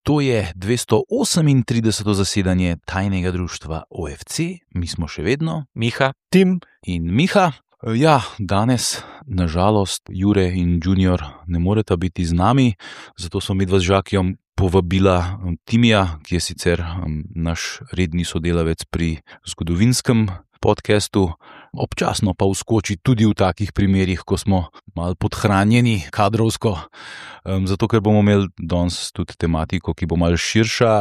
To je 238. zasedanje tajnega društva OFC, mi smo še vedno Miha, Tim in Miha. Ja, danes, nažalost, Jure in Junior ne moreta biti z nami, zato smo midva z Žakijom povabila Timija, ki je sicer naš redni sodelavec pri zgodovinskem podcastu, občasno pa vskoči tudi v takih primerih, ko smo malo podhranjeni kadrovsko, zato ker bomo imeli danes tudi tematiko, ki bo malo širša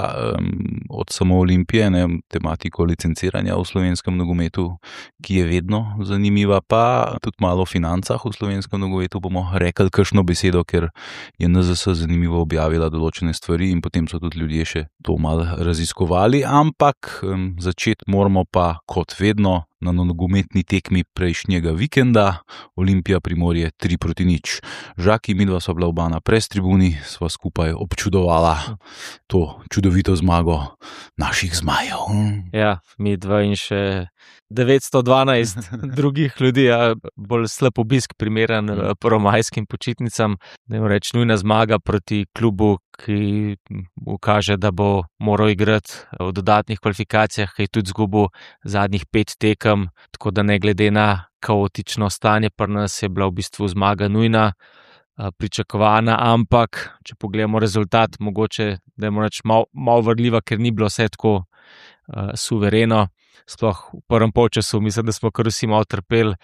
od samo Olimpije, tematiko licenciranja v slovenskem nogometu, ki je vedno zanimiva, pa tudi malo o financah v slovenskem nogometu bomo rekli kakšno besedo, ker je NZS zanimivo objavila določene stvari in potem so tudi ljudje še to malo raziskovali, ampak začeti moramo pa kot vedno na nogometni tekmi prejšnjega vikenda, Olimpija Primorje 3-0. Žaki, midva sva bila oba na press-tribuni, sva skupaj občudovala to čudovito zmago naših zmajev. Ja, midva in še 912 drugih ljudi, bolj slab obisk primeren prvomajskim počitnicam. Ne morem reči, nujna zmaga proti klubu, ki ukaže, da bo moral igrati v dodatnih kvalifikacijah, ki je tudi izgubil zadnjih 5 tekem, tako da ne glede na kaotično stanje, pri nas je bila v bistvu zmaga nujna, pričakovana, ampak če pogledamo rezultat, mogoče da je morač malo vrljiva, ker ni bilo vse tako suvereno. Sploh v prvem polčasu mislim, da smo kar vsi malo trpeli,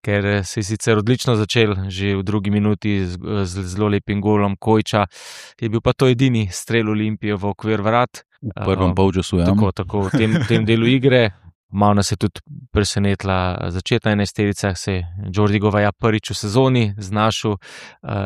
ker se je sicer odlično začel, že v drugi minuti z zelo lepim golom Kojča. Je bil pa to edini strel Olimpije v okvir vrat. V prvem polčasu, ja. Tako, v tem delu igre. Malo nas je tudi presenetila začetna enajsterica, se je Jordi Govaja prvič v sezoni znašel,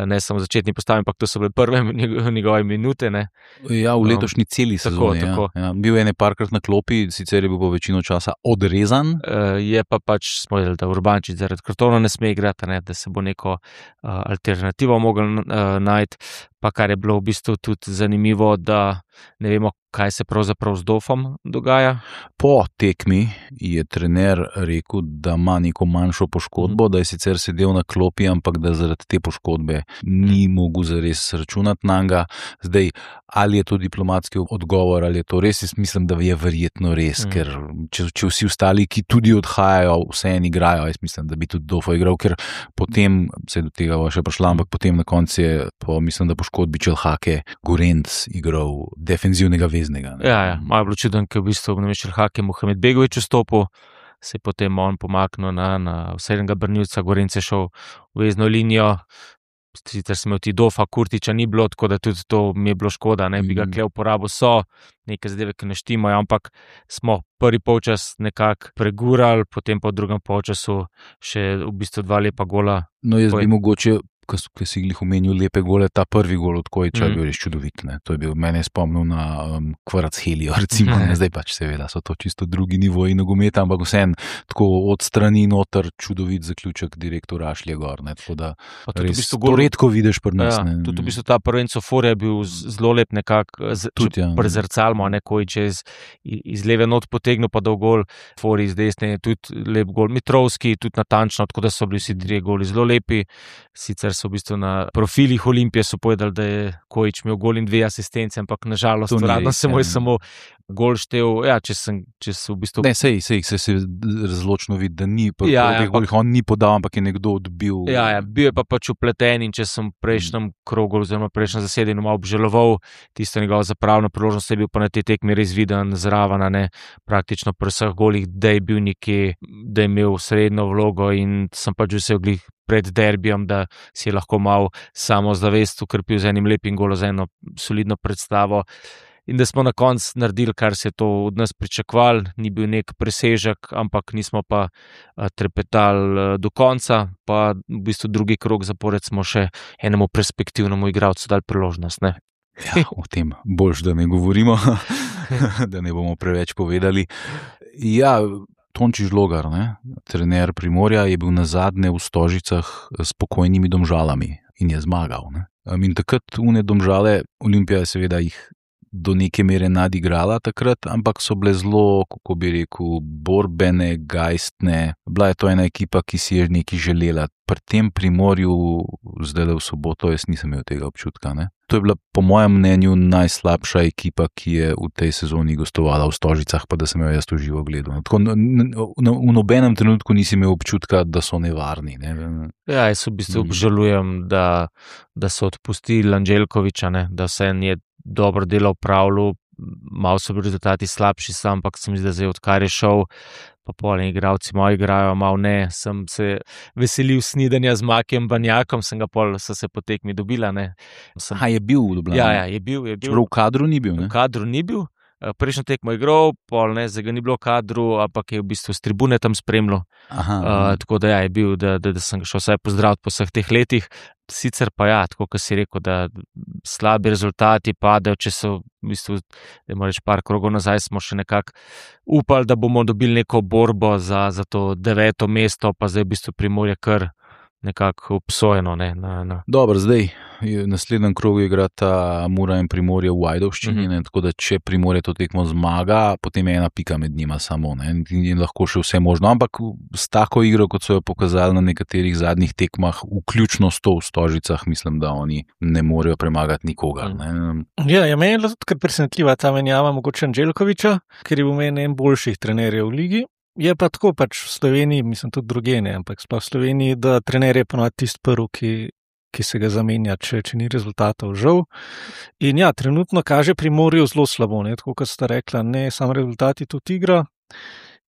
ne samo začetni postavi, ampak to so bile prve njegove minute. Ne. Ja, v letošnji celi sezoni. Tako. Ja. Bil je parkrat na klopi, sicer je bil po večino časa odrezan. Je pa pač smo vedeli, da Urbančič zaradi kartona ne sme igrati, da se bo neko alternativo mogel najti. Pa kar je bilo v bistvu tudi zanimivo, da ne vemo, kaj se pravzaprav z Dofom dogaja. Po tekmi je trener rekel, da ima neko manjšo poškodbo, da je sicer sedel na klopi, ampak da zaradi te poškodbe ni mogel zares računati nanj. Zdaj, ali je to diplomatski odgovor, ali je to res, jaz mislim, da je verjetno res, ker če vsi ostali, ki tudi odhajajo, vseeno igrajo, jaz mislim, da bi tudi Dofo igral, ker potem se je do tega še prišla, ampak potem na koncu je, mislim, da poškodbi Čelhake Gorenc igral defenzivnega veznega. Ja, malo je bilo čudno, ker v bistvu na Čelhake Mohamed Begović vstopil, se je potem on pomaknil na srednjega branilca, Gorenc je šel v vezno linijo, sicer smo imeli Dofa, Kurtiča ni bilo, tako da tudi to mi je bilo škoda, ne bi ga kle uporabil, so neke zadeve, ki ne štimajo, ampak smo prvi polčas nekako pregurali, potem pa v drugem polčasu še v bistvu 2 lepa gola. No, jaz bi mogoče, ki si jih omenil lepe gole, ta prvi gol od Kojča je bil res čudovit. To je bil, mene je spomnil na Kvarac Helijo, recimo, zdaj pač seveda so to čisto drugi nivoji nogometa, ampak vseeno tako od strani noter čudovit zaključek direktor Rašlje gor, tako da res v bistvu to redko vidiš pri nas. Ja, tudi v bistvu ta prvenco Fore je bil zelo lep nekako, prezrcalmo, Kojč je iz leve not potegnil pa dal gol, Fore iz desne je tudi lep gol, Mitrovski tudi natančno, tako da so bili vsi 3 goli zelo lepi, sicer so v bistvu na profilih Olimpije so povedali, da je Kojč imel gol in 2 asistence, ampak nažalost uradno se mu je samo gol štel, če so v bistvu... Ne, sej se razločno vidi, da ni, on ni podal, ampak je nekdo odbil. Ja, bil je pa pač upleten in če sem v prejšnjem krogu oziroma prejšnjem zasedanju malo obžaloval tisto njegovo zapravno priložnost, je bil pa na tej tekmi res viden zraven, praktično pri vseh golih, da je bil nekje, da je imel srednjo vlogo in sem pač vse glih pred derbijem, da si je lahko malo samozavest ukrepil z enim lepim golom, z eno solidno predstavo in da smo na koncu naredili, kar se je to od nas pričakovali, ni bil nek presežek, ampak nismo pa trepetali do konca, pa v bistvu drugi krog zapored smo še enemu perspektivnemu igralcu dali priložnost. Ne? Ja, o tem boljš, da ne govorimo, da ne bomo preveč povedali. Ja, Tonči Žlogar, trener Primorja, je bil nazadnje v Stožicah s pokojnimi Domžalami in je zmagal. In takrat une Domžale, Olimpija je seveda jih do neke mere nadigrala takrat, ampak so bile zelo, kako bi rekel, borbene, gajstne. Bila je to ena ekipa, ki si je nekaj želela. Pri tem Primorju, zdaj v soboto, jaz nisem imel tega občutka. Ne? To je bila po mojem mnenju najslabša ekipa, ki je v tej sezoni gostovala v Stožicah, pa da sem jo jaz to živo gledal. Tako, v nobenem trenutku nisi imel občutka, da so nevarni. Ne? Ja, jaz v bistvu obžalujem, da so odpustili Anđelkoviča, ne? Da se je dobro delo opravljal, malo so bili rezultati slabši, ampak se mi zdi, da zdaj odkar je šel, pa polni igralci moji igrajo, malo ne, sem se veselil snidanja z Makijem Banjakom, so se po tekmi dobila. Je bil v Ljubljani? Ja, je bil. Čeprav v kadru ni bil, ne? V kadru ni bil. Prejšnjo tekmo je igral, zdaj ga ni bilo v kadru, ampak je v bistvu s tribune tam spremljal. Tako da je bil, da sem ga šel vsaj pozdraviti po vseh teh letih. Sicer pa tako kot si rekel, da slabi rezultati padajo, če so v bistvu, da moramo reči par krogov nazaj, smo še nekako upali, da bomo dobili neko borbo za to 9. mesto, pa zdaj v bistvu Primorje kar nekako obsojeno. Dobro, zdaj v naslednjem krogu igrata Mura in Primorje v Ajdovščini, tako da če Primorje to tekmo zmaga, potem je ena pika med njima samo, in lahko še vse možno, ampak s tako igro, kot so jo pokazali na nekaterih zadnjih tekmah, vključno s to v Stožicah, mislim, da oni ne morejo premagati nikogar. Ja, meni je tudi kar presenetljiva ta menjava mogoče Anđelkoviča, ker je v meni en boljših trenerjev v ligi. Je pa tako v Sloveniji, mislim tudi drugje, ampak sploh v Sloveniji, da trener je ponovadi tisti prvi, ki se ga zamenja, če ni rezultatov, žal. In ja, trenutno kaže Primorju zelo slabo, tako kot sta rekla, ne samo rezultati, tudi igra.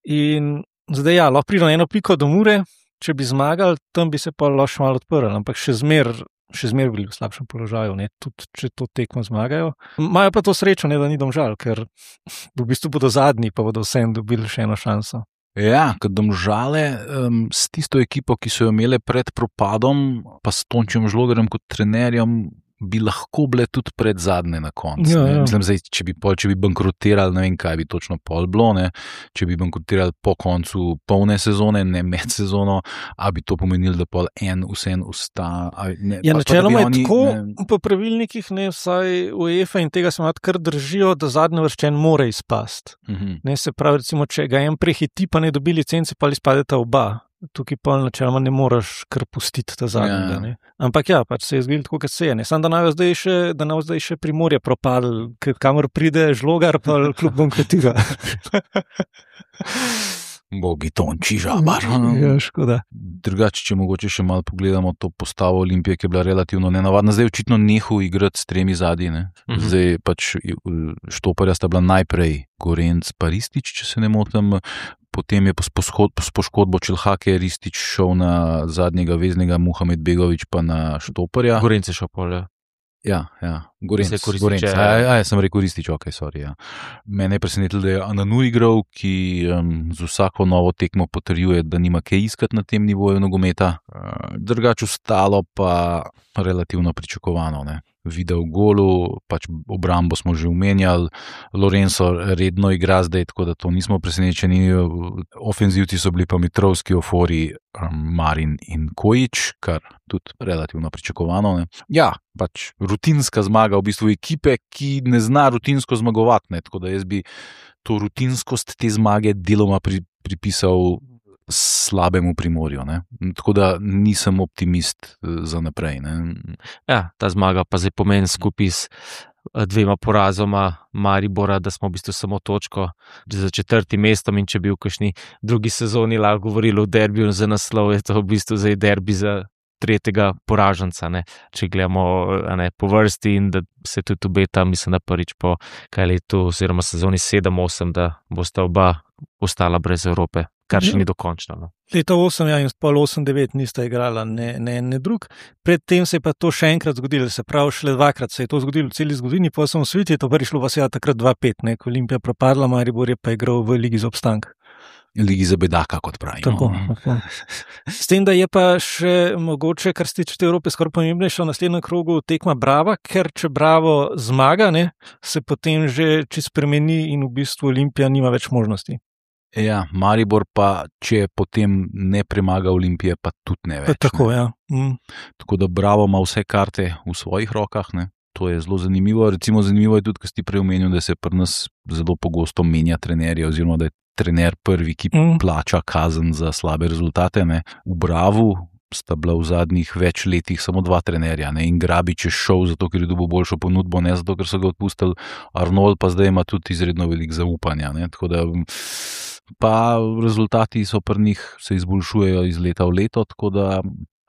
In zdaj lahko pride na eno piko do Mure, če bi zmagali, tam bi se pa lahko malo odprli, ampak še zmer bili v slabšem položaju, tudi če to tekmo zmagajo. Imajo pa to srečo, da ni Domžal, ker v bistvu bodo zadnji, pa bodo vsem dobili še eno šanso. Ja, kot Domžale, s tisto ekipo, ki so jo imele pred propadom, pa s Tončem Žlogarjem kot trenerjem, bi lahko bile tudi pred zadnje na koncu. Ja. Mislim, zdaj, če bi bankrotirali, ne vem, kaj bi točno pol bilo, če bi bankrotirali po koncu polne sezone, ne med sezono, a bi to pomenilo, da pol vsem usta. Načeloma je tako, po pravilnikih, vsaj UEFA in tega se kar držijo, da zadnji vrščen mora izpasti. Se pravi, recimo, če ga en prehiti, pa ne dobi licence, pa izpadeta oba. Tukaj pa načeloma ne moreš kar pustiti ta zadnjega. Ja. Ampak se je zgodilo tako, kot se je. Samo da naj zdaj še Primorje propadlo, kamor pride Žlogar, pa klub bankrotira. Bogi Tonči Žabar. Ja, škoda. Drugače, če mogoče še malo pogledamo to postavo Olimpije, ki je bila relativno nenavadna. Zdaj očitno nehal igrati s 3 zadnji. Zdaj Štoparja sta bila najprej Gorenc pa Ristić, če se ne motim. Potem je s poškodbo Čelhake Ristić šel na zadnjega veznega, Muhamed Begović pa na Štoparja. Gorenc je šel pol, Ja, Gorenc. Sem rekel Ristić, sorry. Ja. Mene je presenetilo, da je Ananu igral, ki z vsako novo tekmo potrjuje, da nima kaj iskati na tem nivoju nogometa. Drugače ostalo pa relativno pričakovano, Video golu, obrambo smo že omenjali, Lorenzo redno igra zdaj, tako da to nismo presenečeni. Ofenzivci so bili pa Mitrovski, Ofori, Marin in Kojić, kar tudi relativno pričakovano. Ja, rutinska zmaga v bistvu ekipe, ki ne zna rutinsko zmagovati, tako da jaz bi to rutinskost te zmage deloma pripisal slabemu Primorju, tako da nisem optimist za naprej. Ja, ta zmaga pa zdaj pomeni skupaj s 2 porazoma Maribora, da smo v bistvu samo točko za 4. mestom, in če bi v kakšni drugi sezoni lahko govorili o derbiju za naslov, je to v bistvu zdaj derbi za 3. poraženca, če gledamo po vrsti, in da se tudi obeta, mislim, da prvič po letu oziroma sezoni 7-8, da bosta oba ostala brez Evrope, kar še ni dokončno. Leta 8 in pol 8-9 nista igrala ne drug. Predtem se je pa to še enkrat zgodilo, se pravi, šele 2-krat se je to zgodilo v celi zgodovini, po osamosvojitvi je to prvič šlo takrat 2-5, ko Olimpija propadla, Maribor je pa igral v Ligi za obstanek. Ligi za bedaka, kot pravimo. Tako. S tem, da je pa še mogoče, kar se tiče Evrope, skoraj pomembnejša v naslednjem krogu tekma Brava, ker če Bravo zmaga, se potem že čisto spremeni in v bistvu Olimpija nima več možnosti. Ja, Maribor pa, če potem ne premaga Olimpije, pa tudi ne več. Tako, ja. Tako da Bravo ima vse karte v svojih rokah, To je zelo zanimivo. Recimo zanimivo je tudi, ko si prej omenil, da se pri nas zelo pogosto menja trenerje, oziroma da je trener prvi, ki plača kazen za slabe rezultate. Ne. V Bravu sta bila v zadnjih več letih samo 2 trenerja, ne. In Grabič je šel zato, ker je dobil boljšo ponudbo, ne zato, ker so ga odpustili. Arnold pa zdaj ima tudi izredno veliko zaupanja. Ne. Tako da pa rezultati so pri njih se izboljšujejo iz leta v leto, tako da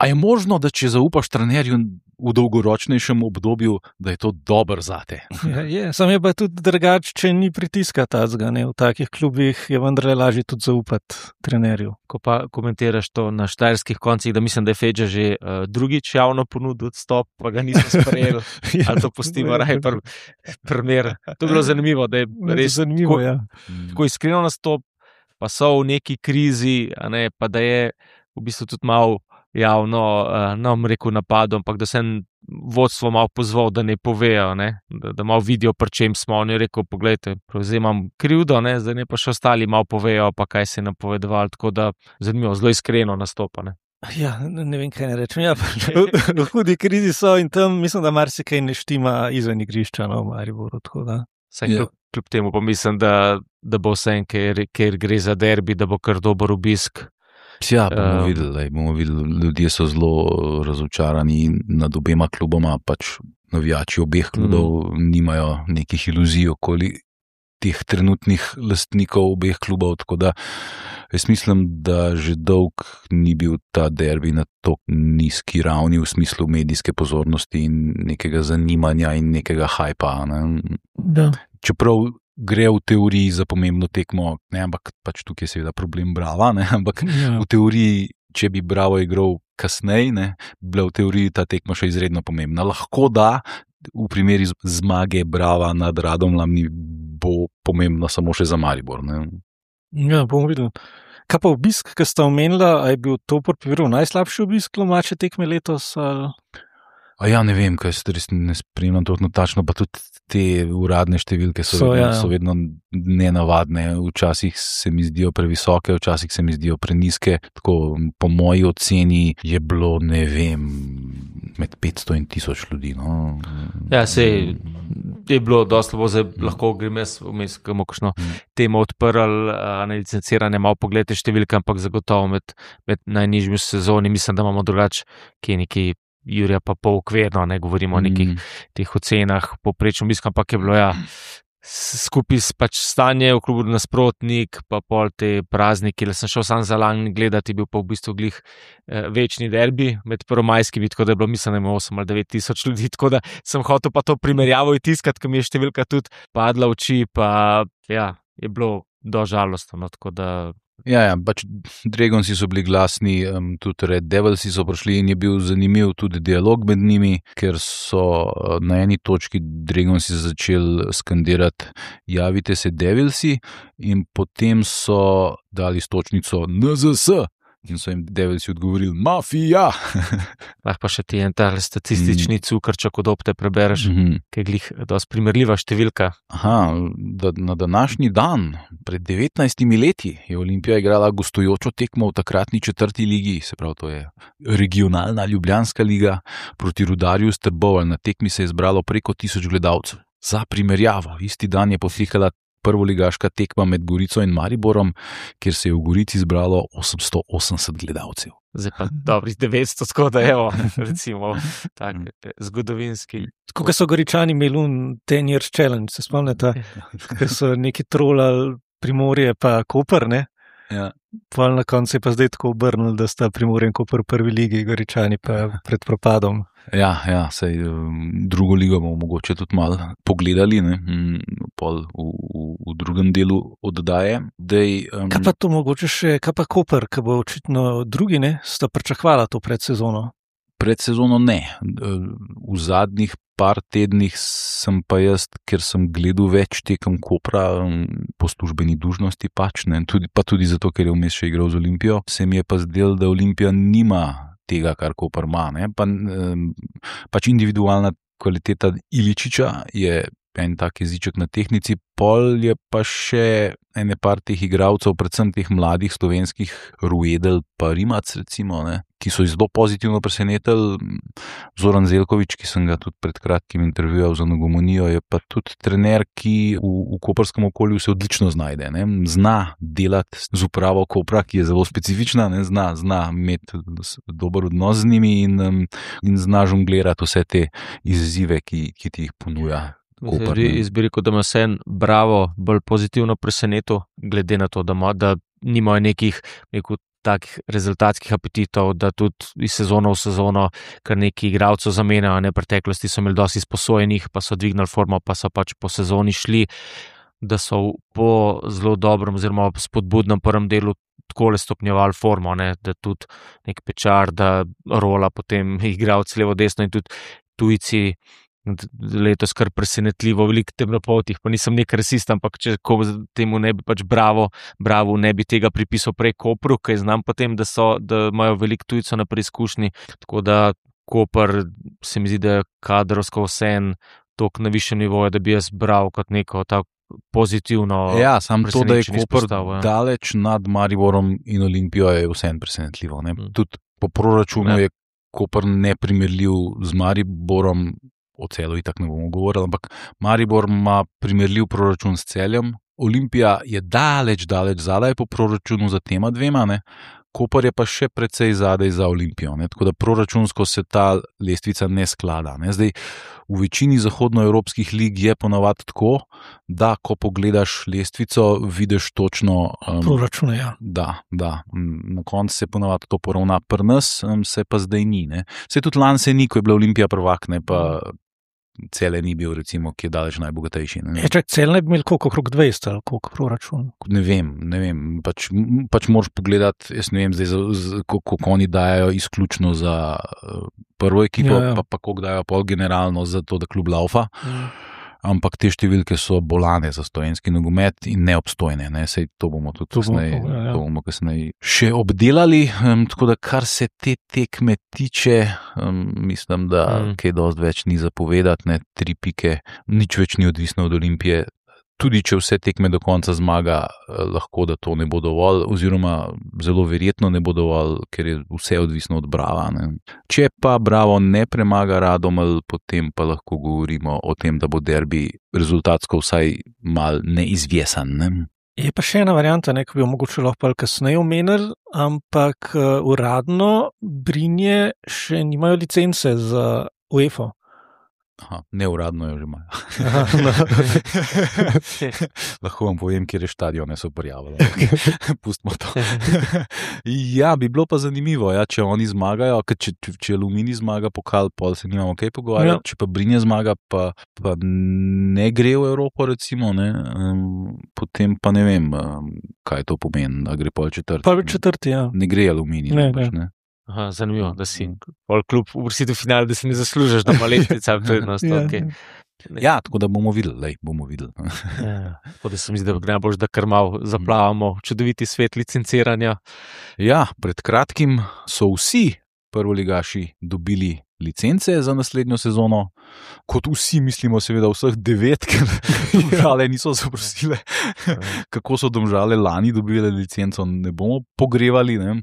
a je možno, da če zaupaš trenerju v dolgoročnejšem obdobju, da je to dobro zate? Ja, sam je pa tudi drugače, če ni pritiska tazga, ne. V takih klubih je vendarle lažje tudi zaupati trenerju. Ko pa komentiraš to na štajerskih koncih, da mislim, da je Fedža že drugič javno ponudil odstop, pa ga niso sprejeli, ali to pustimo raje primer. To je bilo zanimivo, da je res zanimivo, tako iskreno nastop, pa so v neki krizi, a ne, pa da je v bistvu tudi malo javno, nam rekel napadom, ampak da se vodstvo malo pozval, da ne povejo, ne? Da malo vidijo, pri čem smo. On je rekel, poglejte, prevzemam krivdo, ne? Zdaj ne pa še ostali malo povejo, pa kaj se je napovedovalo, tako da zanimivo, zelo iskreno nastopa. Ne? Ja, ne vem, kaj ne rečem. Ja, v hudi krizi so in tam mislim, da marsikaj ne štima izven igrišča, no, v Mariboru, tako da. Kljub temu pa mislim, da bo vse, ker gre za derbi, da bo kar dober obisk. Ja, bomo videli, ljudje so zelo razočarani nad obema kluboma, pač navijači obeh klubov nimajo nekih iluzij okoli teh trenutnih lastnikov obeh klubov, tako da jaz mislim, da že dolg ni bil ta derbi na tako nizki ravni v smislu medijske pozornosti in nekega zanimanja in nekega hajpa. Da. Čeprav gre v teoriji za pomembno tekmo, ne, ampak pač tukaj je seveda problem Brava, ne, ampak v teoriji, če bi Bravo igral kasneje, ne, bila v teoriji ta tekma še izredno pomembna. Lahko da, v primeri zmage Brava nad Radomljami bo pomembno samo še za Maribor. Ne. Ja, bomo videli. Kaj pa obisk, ki ste omenila, a je bil to primerov najslabši obisk domače tekme letos? Ja, ne vem, kaj se res ne spremljam točno tačno, pa tudi te uradne številke so vedno nenavadne. Včasih se mi zdijo previsoke, včasih se mi zdijo prenizke. Tako, po moji oceni je bilo, ne vem, med 500 in 1000 ljudi. No. Ja, sej je bilo dosti slabo, zdaj lahko grem jaz vmes, kamo kakšno temo odprl, nelicencirane, malo pogledajte številke, ampak zagotovo med najnižjimi sezoni, mislim, da imamo drugače, ki je neki Jurija pa pol okvirno, ne govorimo o nekih teh ocenah poprečno obiska, ampak je bilo skupaj pač stanje v klubu nasprotnik, pa pol te prazniki, le sem šel sam za lani gledati, bil pa v bistvu glih večni derbi med prvomajskimi, tako da je bilo mislim, da ima 8 ali 9 tisoč ljudi, tako da sem hotel pa to primerjavo tiskati, ker mi je številka tudi padla v oči, pa ja, je bilo dožalostno, tako da. Ja, pač Dragonsi so bili glasni, tudi Red Devilsi so prišli in je bil zanimiv tudi dialog med njimi, ker so na eni točki Dragonsi začeli skandirati javite se Devilsi in potem so dali stočnico NZS in so jim Devilsi odgovorili mafija. Lahko pa še ti en ta statistični cukrček od opte prebereš, ki je glih dosti primerljiva številka. Na današnji dan, pred 19 leti, je Olimpija igrala gostujočo tekmo v takratni 4. ligi, se pravi, to je regionalna ljubljanska liga, proti Rudarju iz Trbovelj. Na tekmi se je zbralo preko 1000 gledalcev. Za primerjavo, isti dan je potekala prvoligaška tekma med Gorico in Mariborom, kjer se je v Gorici zbralo 880 gledalcev. Zdaj pa dobrih 900, tako da evo, recimo, tak zgodovinski. Tako, ko so Goričani imeli 10 years challenge, se spomnite, ker so neki trolali Primorje pa Koper, ne? Ja. Pa na koncu je pa zdaj tako obrnili, da sta Primorje in Koper v 1. ligi, Goričani pa pred propadom. Ja, sej drugo ligo bomo mogoče tudi malo pogledali, ne, v drugem delu oddaje. Kaj pa to mogoče še, kaj pa Koper, ki bo očitno drugi, ne, sta pričakvala to predsezono? Predsezono ne. V zadnjih par tednih sem pa jaz, ker sem gledal več tekem Kopra po službeni dužnosti pač, ne, tudi zato, ker je vmes še igral z Olimpijo, se mi je pa zdelo, da Olimpija nima tega, kar Koper ima. Pač individualna kvaliteta Iličiča je en tak jeziček na tehnici, pol je pa še ene par teh igralcev, predvsem teh mladih slovenskih, Ruedel pa Rimac recimo, ne, ki so zelo pozitivno presenetili. Zoran Zeljković, ki sem ga tudi pred kratkim intervjuval za Nogomonijo, je pa tudi trener, ki v koperskem okolju se odlično znajde. Ne? Zna delati z upravo Kopra, ki je zelo specifična, ne? Zna imeti dober odnos z njimi in zna žonglirati vse te izzive, ki ti jih ponuja. Jaz bi rekel, da ima se en Bravo bolj pozitivno presenetil, glede na to, da nimajo nekih takih rezultatskih apetitov, da tudi iz sezono v sezono kar neki igralcev zamenjajo. V preteklosti so imeli dosti izposojenih, pa so dvignili formo, pa so pač po sezoni šli, da so po zelo dobrem oziroma spodbudnem prvem delu takole stopnjevali formo, ne? Da tudi nek Pečar, da rola potem igralci levo desno in tudi tujci letos kar presenetljivo veliko temnopoltih, pa nisem nek rasist, ampak če temu ne bi pač Bravo ne bi tega pripisal prej Kopru, ker znam potem, da imajo veliko tujcev na preizkušnji, tako da Koper se mi zdi, da je kadrovsko vseeno toliko na višjem nivoju, da bi jaz bral kot neko tako pozitivno. Ja, samo to, da je Koper daleč nad Mariborom in Olimpijo, je vseeno presenetljivo. Tudi po proračunu je Koper neprimerljiv z Mariborom. O Celu itak ne bomo govorili, ampak Maribor ima primerljiv proračun s Celjem. Olimpija je daleč zadaj po proračunu za tema dvema, ne? Koper je pa še precej zadaj za Olimpijo, ne? Tako da proračunsko se ta lestvica ne sklada. Ne? Zdaj, v večini zahodnoevropskih lig je ponavadi tako, da ko pogledaš lestvico, vidiš točno proračune, ja. Da. Na koncu se ponavadi to poravna, pri nas se pa zdaj ni. Ne? Se tudi lani se ni, ko je bila Olimpija prvak, ne pa Cele ni bil, recimo, ki je daleč najbogatejši. Cel ne bi imel koliko, okrog 200 ali koliko proračun? Ne vem, pač moraš pogledati, jaz ne vem zdaj, koliko oni dajo izključno za prvo ekipo, pa koliko dajo pol generalno za to, da klub laufa. Ampak te številke so bolane za slovenski nogomet in neobstojne. Ne? Sej to bomo tudi kasneje še obdelali. Tako da, kar se te tekme tiče, mislim, da kaj dosti več ni zapovedati, ne? 3 pike, nič več ni odvisno od Olimpije. Tudi če vse tekme do konca zmaga, lahko da to ne bo dovolj, oziroma zelo verjetno ne bo dovolj, ker je vse odvisno od Brava. Ne? Če pa Bravo ne premaga Radomelj, potem pa lahko govorimo o tem, da bo derbi rezultatsko vsaj mal neizvjesan. Ne? Je pa še ena varianta, ki bi jo mogoče lahko kasneje omenili, ampak uradno Brinje še nimajo licence za UEFA. Aha, neuradno jo že imajo. Lahko vam povem, kjer je štadione so prijavili. Pustimo to. Ja, bi bilo pa zanimivo, ja, če oni zmagajo, če Aluminij zmaga pokal, pol se nimamo kaj pogovarjati, če pa Brinje zmaga, pa ne gre v Evropo, recimo, ne, potem pa ne vem, kaj to pomeni, da gre pol četrti. Pa četrti, ja. Ne gre Aluminij, ne. Aha, zanimivo, da si pol klub uvrstiti v finale, da si ne zaslužiš, da ima letnica prednost. Okay. Ja, tako da bomo videli. Tako da se mi zdi, da gre najbolj, da kar malo zaplavamo čudoviti svet licenciranja. Ja, pred kratkim so vsi prvoligaši dobili licence za naslednjo sezono, kot vsi mislimo, seveda vseh 9, ker Domžale niso zaprosile. Kako so Domžale lani dobile licenco, ne bomo pogrevali. Ne?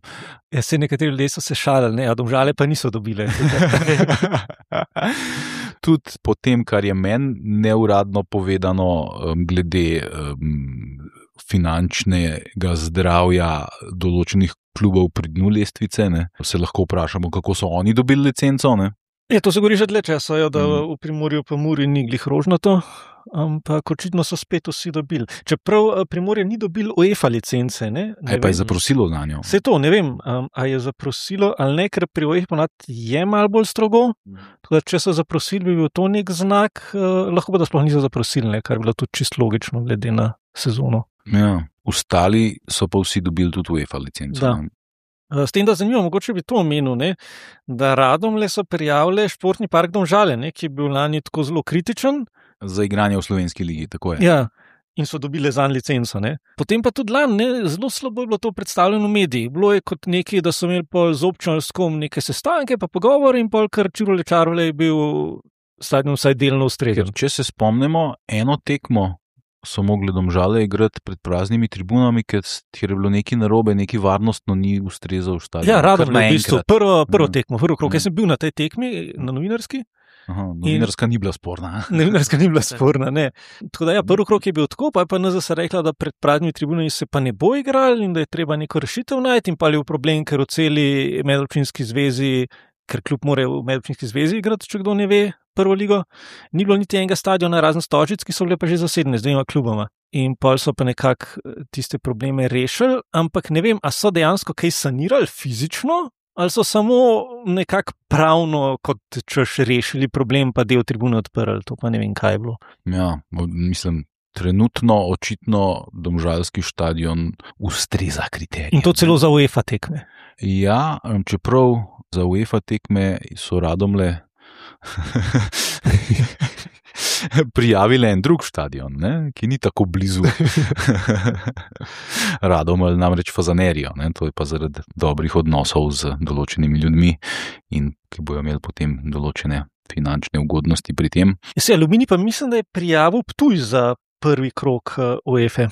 Ja, se nekateri ljudje so se šalili, a Domžale pa niso dobile. Tudi po tem, kar je meni neuradno povedano glede finančnega zdravja določenih klubov pri dnu lestvice, ne? Se lahko vprašamo, kako so oni dobili licenco. Ne? To se govori že dlje časa, da v Primorju pa Muri ni glih rožnato, ampak očitno so spet vsi dobili. Čeprav Primorje ni dobil UEFA licence. Ne pa je zaprosilo za njo? Se to, ne vem, a je zaprosilo ali ne, ker pri UEFA ponavadi je malo bolj strogo. Tudi, če so zaprosili, bi bil to nek znak, lahko pa da sploh niso zaprosili, ne, kar je bilo tudi čisto logično glede na sezono. Ja, ostali so pa vsi dobili tudi UEFA licenco. S tem, da zanimivo, mogoče bi to omenil, ne, da Radomlje so prijavili športni park Domžale, ne, ki je bil lani tako zelo kritičen. Za igranje v slovenski ligi, tako je. Ja, in so dobili zanj licenco. Ne. Potem pa tudi lani, zelo slabo je bilo to predstavljeno v medijih. Bilo je kot nekaj, da so imeli pol z občino s kom neke sestanke, pa pogovore in pol kar Čarole je bil stadion vsaj delno ustrezen. Če se spomnimo, eno tekmo so mogli Domžale igrati pred praznimi tribunami, ker je bilo nekaj narobe, nekaj varnostno ni ustrezal v stadion. Ja, Radomlje, v bistvu, prvo tekmo, prvi krog. Ja. Jaz sem bil na tej tekmi, na novinarski. Aha, novinarska ni bila sporna. Novinarska ni bila sporna, ne. Tako da ja, prvi krog je bil tako, pa je pa NZS rekla, da pred praznimi tribunami se pa ne bo igrali in da je treba neko rešitev najti in pa je bil problem, ker v celi medobčinski zvezi, ker klub mora v medobčinski zvezi igrati, če kdo ne ve, prvo ligo, ni bilo niti enega stadiona, razen Stožic, ki so bile pa že zasedene z dvema kluboma. In pol so pa nekako tiste probleme rešili, ampak ne vem, a so dejansko kaj sanirali fizično, ali so samo nekako pravno, kot češ rešili problem, pa del tribune odprli, to pa ne vem, kaj je bilo. Ja, mislim, trenutno očitno domžalski stadion ustreza kriterijem. In to celo za UEFA tekme. Ja, čeprav za UEFA tekme so Radomlje prijavili en drug stadion, ne, ki ni tako blizu. Radomelj namreč Fazanerijo, ne, to je pa zaradi dobrih odnosov z določenimi ljudmi in ki bojo imeli potem določene finančne ugodnosti pri tem. Aluminij pa mislim, da je prijavil Ptuj za prvi krog UEFA.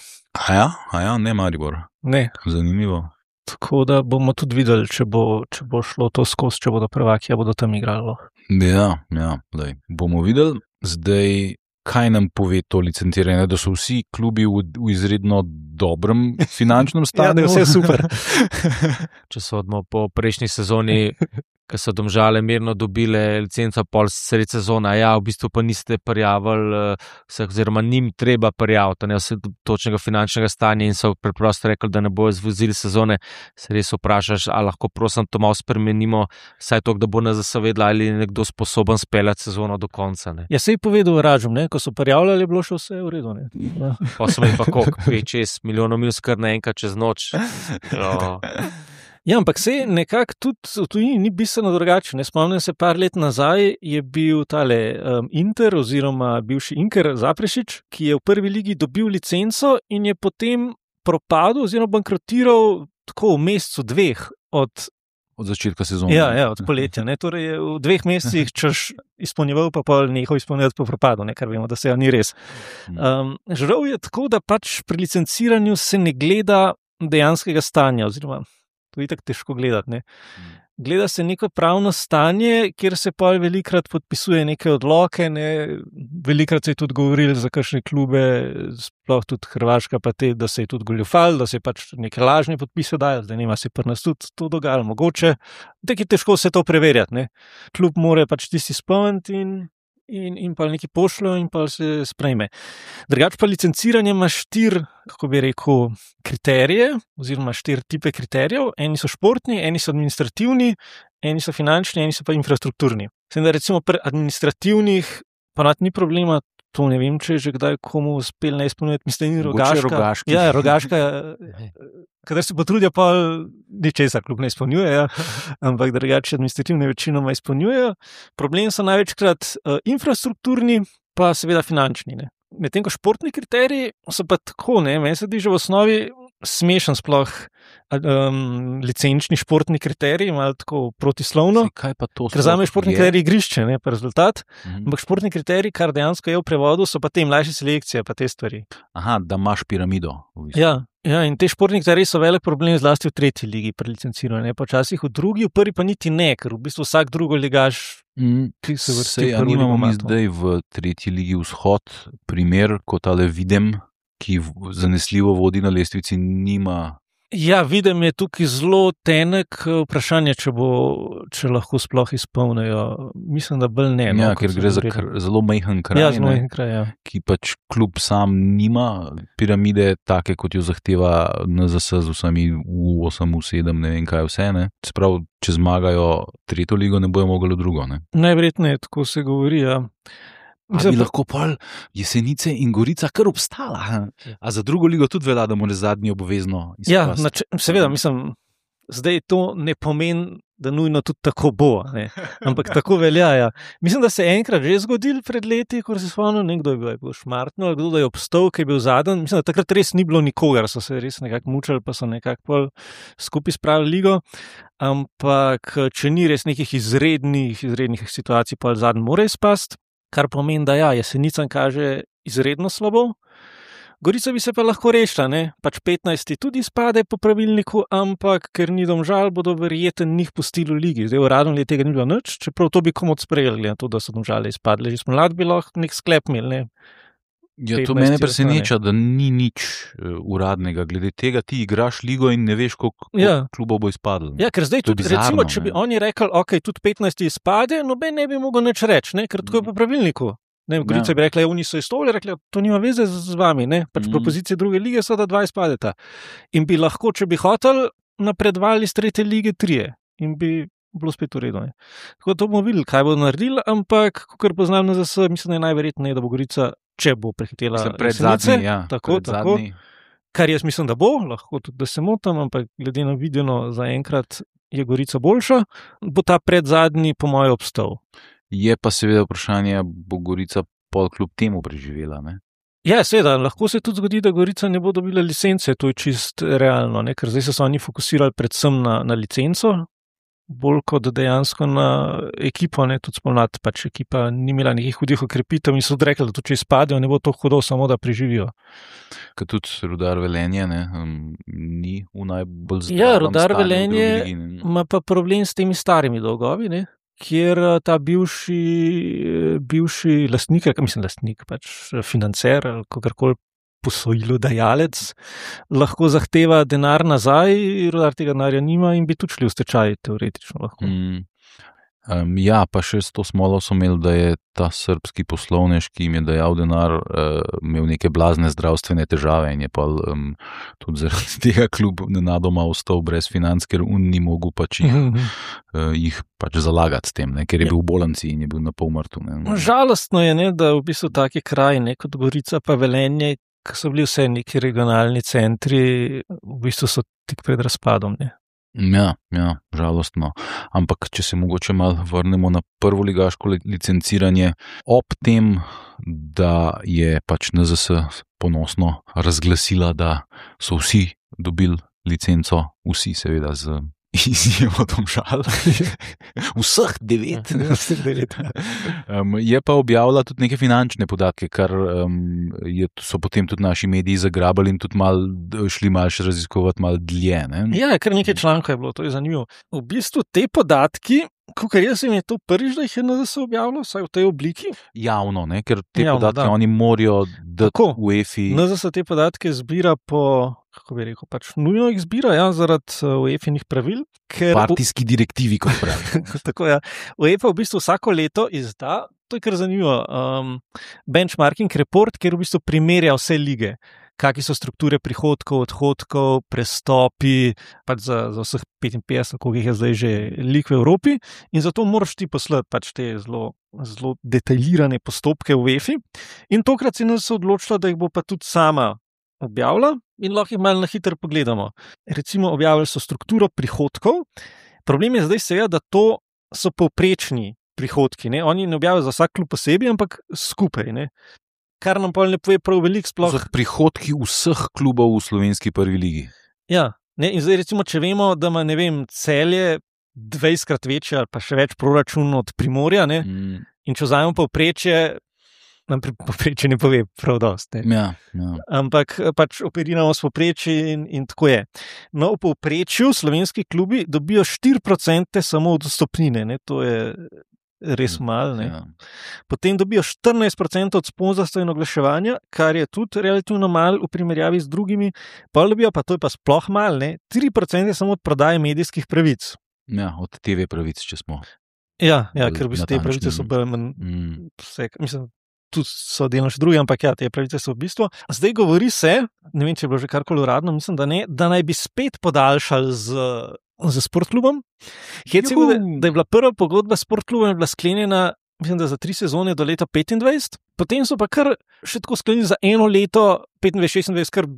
A ja, ne Maribor. Ne. Zanimivo. Tako da bomo tudi videli, če bo šlo to skozi, če bodo prvaki, bodo tam igrali. Ja, bomo videli. Zdaj, kaj nam pove to licenciranje, da so vsi klubi v izredno dobrem finančnem stanju? Ja, vse super. Če so po prejšnji sezoni, ko so Domžale mirno dobile licenco pol sredi sezona, v bistvu pa niste prijavili vseh, oziroma njim treba prijaviti vse točnega finančnega stanja in so preprosto rekli, da ne bojo zvozili sezone, se res vprašaš, ali lahko prosim to malo spremenimo, saj to, da bo NZS vedela, ali je nekdo sposoben speljati sezono do konca. Ne. Ja, se je povedal Ražom, ko so prijavljali, je bilo še vse v redu. Ja. Pa so imeli pa koliko, 5-6 milijonov minus kar naenkrat čez noč. Ja, ampak se nekako tudi v tujini ni bistveno drugače. Spomnim se, par let nazaj je bil tale Inter oziroma bivši Inker Zaprešič, ki je v prvi ligi dobil licenco in je potem propadel oziroma bankrotiral tako v mesecu dveh od začetka sezone. Ja, od poletja. Torej je v 2 mesecih češ izpolnjeval, pa pol nehal izpolnjevati po propadu, kar vemo, da se ni res. Žal je tako, da pač pri licenciranju se ne gleda dejanskega stanja, oziroma to je tako težko gledati. Gleda se neko pravno stanje, kjer se pa velikrat podpisuje neke odloke, velikrat se je tudi govorili za kakšne klube, sploh tudi Hrvaška, pa da se je tudi goljufal, da se je pač neke lažne podpise dajali, da nema se pri nas tudi to dogajalo mogoče. Tako je težko se to preverjati. Klub mora pač tisti spomniti in pa nekaj pošljo in pa se sprejme. Drugač pa licenciranje ima 4, kako bi rekel, kriterije, oziroma 4 tipe kriterijev. Eni so športni, eni so administrativni, eni so finančni, eni so pa infrastrukturni. Sem da recimo pri administrativnih pa ni problema, to ne vem, če je že kdaj komu uspel ne izpolnjati, mislim, da ni Rogaška. Ja, Rogaška, kadar se potrudijo, pa ničesar klub ne izpolnjuje, ampak drugače administrativne večinoma izpolnjujejo. Problem so največkrat infrastrukturni, pa seveda finančni. Medtem ko športni kriteriji so pa tako, meni se zdi že v osnovi smešen sploh licenčni športni kriterij, malo tako protislovno. Kaj pa to? Ker zame športni kriterij igrišče, pa rezultat. Ampak športni kriterij, kar dejansko je v prevodu, so pa te mlajše selekcije, pa te stvari. Aha, da imaš piramido. Ja, in te športni kriteriji so velik problem zlasti v 3. ligi pri licenciranju, počasih v 2., v 1. pa niti ne, ker v bistvu vsak drugo ligaš, ki se vrsti v 1. ligo. Imamo mi zdaj v 3. ligi vzhod primer, kot tale Videm, ki zanesljivo vodi na lestvici, nima. Ja, Videm je tukaj zelo tenek, vprašanje, če lahko sploh izpolnijo. Mislim, da bolj ne. Ja, ker gre za zelo majhen kraj. Ja, zelo majhen kraj, ja. Ki pač klub sam nima piramide, take kot jo zahteva NZS z vsemi U8, U7, ne vem kaj vse. Se pravi, če zmagajo 3. ligo, ne bojo mogli v drugo. Najverjetneje, tako se govori, ja. Bi lahko pol Jesenice in Gorica kar obstala. A za 2. ligo tudi velja, da mora zadnji obvezno izpasti. Ja, seveda, mislim, zdaj to ne pomeni, da nujno tudi tako bo, ampak tako velja. Ja. Mislim, da se je enkrat že zgodil pred leti, ko se spomnim, nekdo je bil šmartno, kdo da je obstal, ki je bil zadnji. Mislim, da takrat res ni bilo nikogar, so se res nekako mučali, pa so nekako skupaj spravili ligo. Ampak če ni res nekih izrednih situacij, pa zadnji mora izpasti. Kar pomeni, da Jesenicam kaže izredno slabo. Gorica bi se pa lahko rešila, ne? Pač 15 tudi spade po pravilniku, ampak ker ni Domžal, bodo verjetno njih pustili v ligi. Zdaj uradno je tega ni bilo nič, čeprav to bi komot sprejeli, glede na to, da so Domžale izpadle. Že smo bi lahko nek sklep imeli, ne? Ja, to mene preseneča, da ni nič uradnega. Glede tega ti igraš ligo in ne veš, koliko klubov bo izpadlo. Ja, ker zdaj tudi, recimo, če bi oni rekli, ok, tudi 15 izpade, noben ne bi mogel nič reči, ne? Ker tako je po pravilniku. Gorica bi rekla, oni so izstopili, rekli, to nima veze z vami, ne? Pač propozicije druge lige so, da 2 izpadeta. In bi lahko, če bi hotel, napredovali iz 3. lige 3 in bi bilo spet v redu. Tako da to bomo videli, kaj bodo naredili, ampak, kakor poznam NZS, mislim, da je najverjetneje, da bo Gorica, če bo prehitela predzadnji, tako. Kar jaz mislim, da bo, lahko tudi, da se motim, ampak glede na videno zaenkrat je Gorica boljša, bo ta predzadnji po moje obstal. Je pa seveda vprašanje, bo Gorica pol kljub temu preživela, ne? Ja, seveda, lahko se tudi zgodi, da Gorica ne bo dobila licence, to je čist realno, ne? Ker zdaj so oni fokusirali predvsem na licenco, bolj kot dejansko na ekipo, ne, tudi spomladi, pač ekipa ni imela nekih hudih okrepitev in so rekli, da to, če izpadejo, ne bo to hudo, samo da preživijo. Ker tudi Rudar Velenje, ne, ni v najbolj zdravem stanju. Ja, Rudar Velenje ima pa problem s temi starimi dolgovi, ne, kjer ta bivši lastnik, pač financer ali kakorkoli posojilodajalec lahko zahteva denar nazaj, Rudar tega denarja nima in bi tudi šli v stečaj, teoretično lahko. Ja, pa še s to smolo so imeli, da je ta srbski poslovnež, ki jim je dajal denar, imel neke blazne zdravstvene težave in je pa tudi zaradi tega klub nenadoma ostal brez financ, ker ni mogel pač jih pač zalagati s tem, ne, ker je bil v bolnici in je bil na pol mrtev. Žalostno je, ne, da v bistvu taki kraji, ne, kot Gorica pa Velenje, ki so bili vse neki regionalni centri, v bistvu so tik pred razpadom, ne. Ja, žalostno. Ampak, če se mogoče malo vrnemo na prvoligaško licenciranje, ob tem, da je pač NZS ponosno razglasila, da so vsi dobili licenco, vsi seveda z izjemo Domžal. Vseh 9. Je pa objavila tudi neke finančne podatke, kar so potem tudi naši mediji zagrabali in tudi šli malo še raziskovati malo dlje. Ne? Ja, kar nekaj člankov je bilo, to je zanimivo. V bistvu te podatki, kakor jaz jim je to prvič, da jih je NZS objavilo, vsaj v tej obliki. Javno, ne? Ker te podatke oni morajo dati v UEFA. NZS te podatke zbira po, kako bi rekel, pač nujno jih zbira, ja, zaradi UEFA-inih pravil. Partijski direktivi, kot pravi. Tako, ja. UEFA v bistvu vsako leto izda, to je kar zanimivo, benchmarking report, kjer v bistvu primerja vse lige. Kakšne so strukture prihodkov, odhodkov, prestopi, pač za vseh 55, koliko jih je zdaj že lig v Evropi, in zato moraš ti poslati pač te zelo detaljirane postopke v UEFA. In tokrat si nas odločila, da jih bo pa tudi sama objavila in lahko jih malo na hitro pogledamo. Recimo, objavili so strukturo prihodkov. Problem je zdaj seveda, da to so povprečni prihodki, ne? Oni ne objavijo za vsak klub posebej, ampak skupaj, ne? Kar nam pa ne pove prav veliko sploh. Za prihodki vseh klubov v slovenski prvi ligi. Ja, ne, in zdaj recimo, če vemo, da ima, ne vem, Celje 20krat večje ali pa še več proračun od Primorja, ne, in če vzamemo povprečje, nam povprečje ne pove prav dosti. Ja. Ampak pač operiramo s povprečji in tako je. No, v povprečju slovenski klubi dobijo 4% samo od vstopnine, ne, to je res malo, ne. Ja. Potem dobijo 14% od sponzorstva in oglaševanja, kar je tudi relativno malo v primerjavi z drugimi. Pa dobijo, pa to je pa sploh malo, ne, 3% samo od prodaje medijskih pravic. Ja, od TV pravic, če smo. Ja, ker v bistvu te pravice so bolj vse, mislim, tudi so delno še drugi, ampak ja, te pravice so v bistvu. Zdaj govori se, ne vem, če je bilo že karkoli uradno, mislim, da ne, da naj bi spet podaljšali z sportklubom. Hecimo, da je bila prva pogodba s sportklubom je bila sklenjena, mislim, da za 3 sezone do leta 25, potem so pa kar še tako sklenili za 1 leto 25-26, kar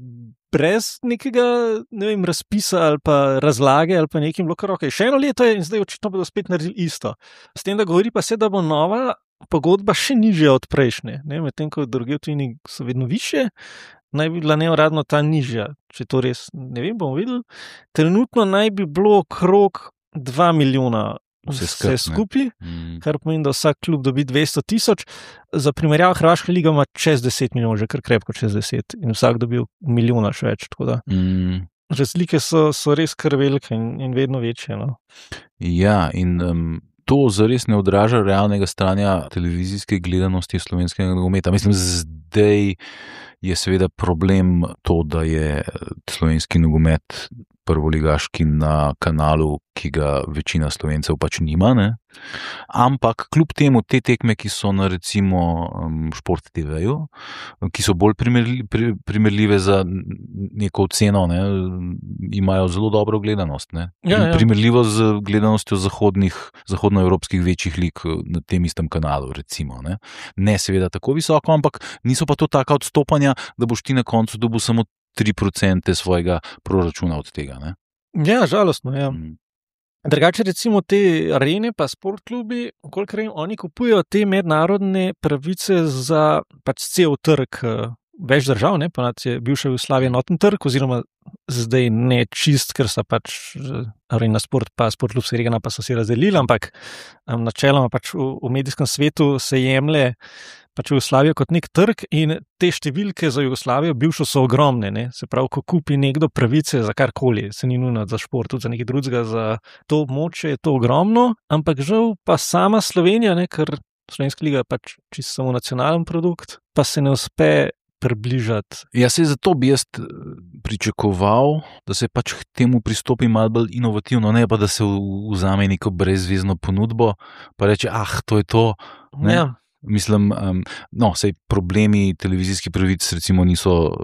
brez nekega, ne vem, razpisa ali pa razlage ali pa nekim bilo kar okej. Še 1 leto je in zdaj očitno bodo spet naredili isto. S tem, da govori pa se, da bo nova pogodba še nižja od prejšnje, ne, medtem ko druge v tujini so vedno višje. Naj bi bila neuradno ta nižja, če to res, ne vem, bomo videli. Trenutno naj bi bilo okrog 2 milijona vse skupaj, kar pomeni, da vsak klub dobi 200,000. Za primerjavo Hrvaška liga ima čez 10 milijonov, že kar krepko čez 10 in vsak dobi milijona še več. Razlike so res kar velike in vedno večje. No. Ja, in to zares ne odraža realnega stanja televizijske gledanosti slovenskega nogometa. Mislim, zdaj je seveda problem to, da je slovenski nogomet prvoligaški na kanalu, ki ga večina Slovencev pač nima, ne? Ampak kljub temu te tekme, ki so na recimo Šport TV-ju, ki so bolj primerljive za neko oceno, ne? Imajo zelo dobro gledanost. Ne? Ja. Primerljivo z gledanostjo zahodnoevropskih večjih lig na tem istem kanalu, recimo. Ne seveda tako visoko, ampak niso pa to taka odstopanja, da boš ti na koncu dobil samo 3% svojega proračuna od tega. Ne? Ja, žalostno, ja. Drugače recimo te arene pa sportklubi, kolikor oni kupujejo te mednarodne pravice za pač cel trg več držav, ne, pa je bivša Jugoslavija enoten trg, oziroma zdaj ne čist, ker so pač Arena Sport pa Sportklub Seregana pa so se razdelili, ampak načeloma pač v medijskem svetu se jemlje pač Jugoslavijo kot nek trg in te številke za Jugoslavijo bivšo so ogromne. Ne? Se pravi, ko kupi nekdo pravice za karkoli, se ni nujno za šport, tudi za nekaj drugega, za to območje je to ogromno, ampak žal pa sama Slovenija, ne, ker Slovenska liga je pač čisto samo nacionalen produkt, pa se ne uspe približati. Ja, se zato bi jaz pričakoval, da se pač k temu pristopi malo bolj inovativno, ne pa da se vzame neko brezvezno ponudbo, pa reče, to je to. Ne? Ja. Mislim, sej problemi televizijskih pravic recimo niso